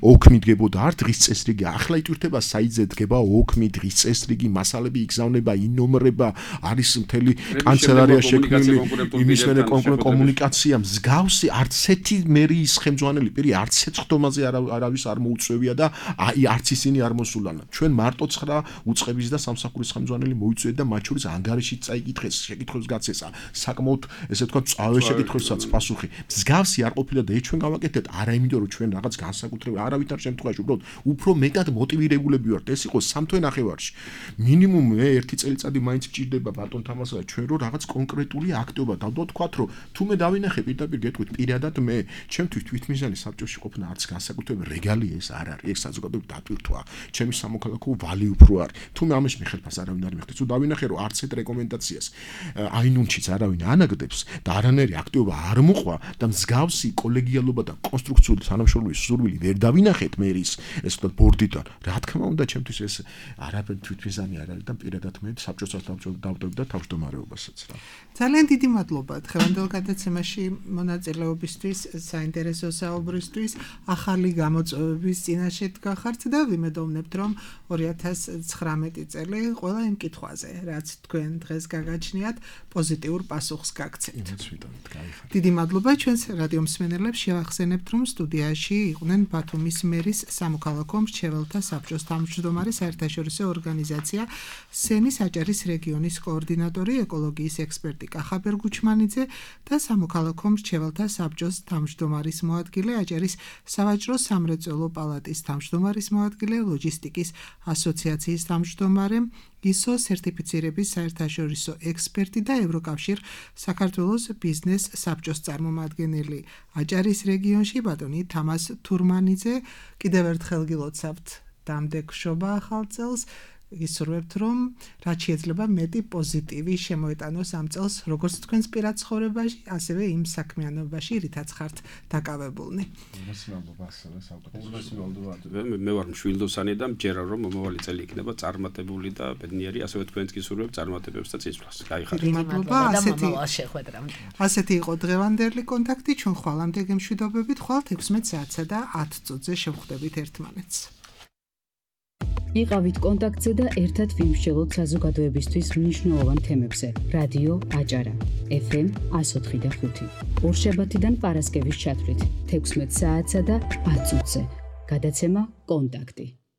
ოქმი დგებოდა, არც დღის წესრიგი, ახლა იტვირთება საიტზე დგება ოქმი, დღის წესრიგი, მასალები იგზავნება, ინომრება, არის მთელი კანცელარია შექმნილი, იმისმენე კომუნიკაცია, მსგავსი არც ერთი მერის ხელმძღვანელი პირი არც ეცხვდომაზე არავის არ მოუწევია და აი არც ისინი არ მოსულან. ჩვენ მარტო ცხრა უწყების და სამსახურის ხელმძღვანელი მოიწვიეთ და მათ შორის ანგარიში წაიკითხეს, შეკითხვებს გაცესა, საკმაოდ ესე ვთქვათ, წავე შეკითხვებსაც პასუხი. მსგავსი არ ყოფილა და ჩვენ გავაკეთეთ არა იმიტომ რომ ჩვენ რაღაც განსაკუთრებული არავითარ შემთხვევაში უბრალოდ უფრო მეტად მოტივირებულები ვართ, ეს იყო სამთვე ნახევარში. მინიმუმ მე ერთი წელიწადი მაინც გჭირდება ბატონ თამასადა ჩვენ რომ რაღაც კონკრეტული აქტივობა დავდოთ, რომ თუ მე დავინახე პირდაპირ გეტყვით პირადად მე ჩემთვის თვითმიზანი საბჭოში ყოფნა არც განსაკუთრებული რეგალია ეს არ არის, ეს საზოგადოებრივ დატვირთვა, ჩემი სამოქალაქო ვალი უფრო არის. თუ მე ამაში მიხელფას არავინ არ მიხდით, თუ დავინახე რომ არც ერთ რეკომენდაციას აინუნჩიც არავინ ანაგდებს და არანაირი აქტივობა არ მოყვა და მსგავსი კოლეგიალობა და კონსტრუქციული თანამშრომლობის სურვილი ვერ დავინახეთ მერის ეს ვთქვათ ბორდიდან. რა თქმა უნდა, ჩემთვის ეს არაფერ თვითმიზანი არ არის და პირადად მე საბჭოსაც დავდებ და თავმჯდომარეობასაც რა. ძალიან დიდი მადლობა დღევანდელ გადაცემაში მონაწილეობისთვის, საინტერესო საუბრისთვის, ახალი გამოწვევების წინაშე დგახართ და ვიმედოვნებთ, რომ ორი ათას ცხრამეტი წელი ყველა იმ კითხვაზე, რაც თქვენ დღეს გაგაჩნიათ, პოზიტიურ პასუხს გაგცემთ. დიდი მადლობა ჩვენს რადიო მსმენელებს, შევახსენებთ, რომ სტუდიაში იყვნენ ბათუმის მერის სამოქალაქო მრჩეველთა საბჭოს თავმჯდომარე, საერთაშორისო ორგანიზაცია სენის აჭარის რეგიონის კოორდინატორი, ეკოლოგიის ექსპერტი კახაბერ გუჩმანიძე და სამოქალაქო მრჩეველთა საბჭოს თავმჯდომარის მოადგილე, აჭარის სავაჭრო სამრეწველო პალატის თავმჯდომარის მოადგილე, ლოჯისტიკის ასოციაციის თავმჯდომარე, ისო სერტიფიცირების საერთაშორისო ექსპერტი და ევროკავშირ საქართველოს ბიზნეს საბჭოს წარმომადგენელი აჭარის რეგიონში ბატონი თამაზ თურმანიძე. კიდევ ერთხელ გილოცავთ დამდეგშობა ახალ წელს, გისურვებთ, რომ რაც შეიძლება მეტი პოზიტივი შემოეტანოს ამ წელს, როგორც თქვენს პირად ცხოვრებაში, ასევე იმ საქმიანობაში, რითაც ხართ დაკავებულნი. მე ვარ მშვილდოსანი და მჯერა რომ მომავალი წელი იქნება წარმატებული და ბედნიერი, ასევე თქვენს გისურვებთ წარმატებებს და წინსვლას. გაიხარეთ. მადლობა, ასეთი ასეთი იყო დღევანდელი კონტაქტი, ჩვენ ხვალამდე გემშვიდობებით, ხვალთ ექვსმეტ საათსა და ათ წუთზე შევხვდებით ერთმანეთს. იყავით კონტაქტზე და ერთად ვიმსჯელოთ საზოგადოებისთვის მნიშვნელოვან თემებზე. რადიო აჭარა ეფ ემ εκατო ოთხი და ხუთი. ორშაბათიდან პარასკევის ჩათვლით თექვსმეტ საათსა და ათ წუთზე. გადაცემა კონტაქტი.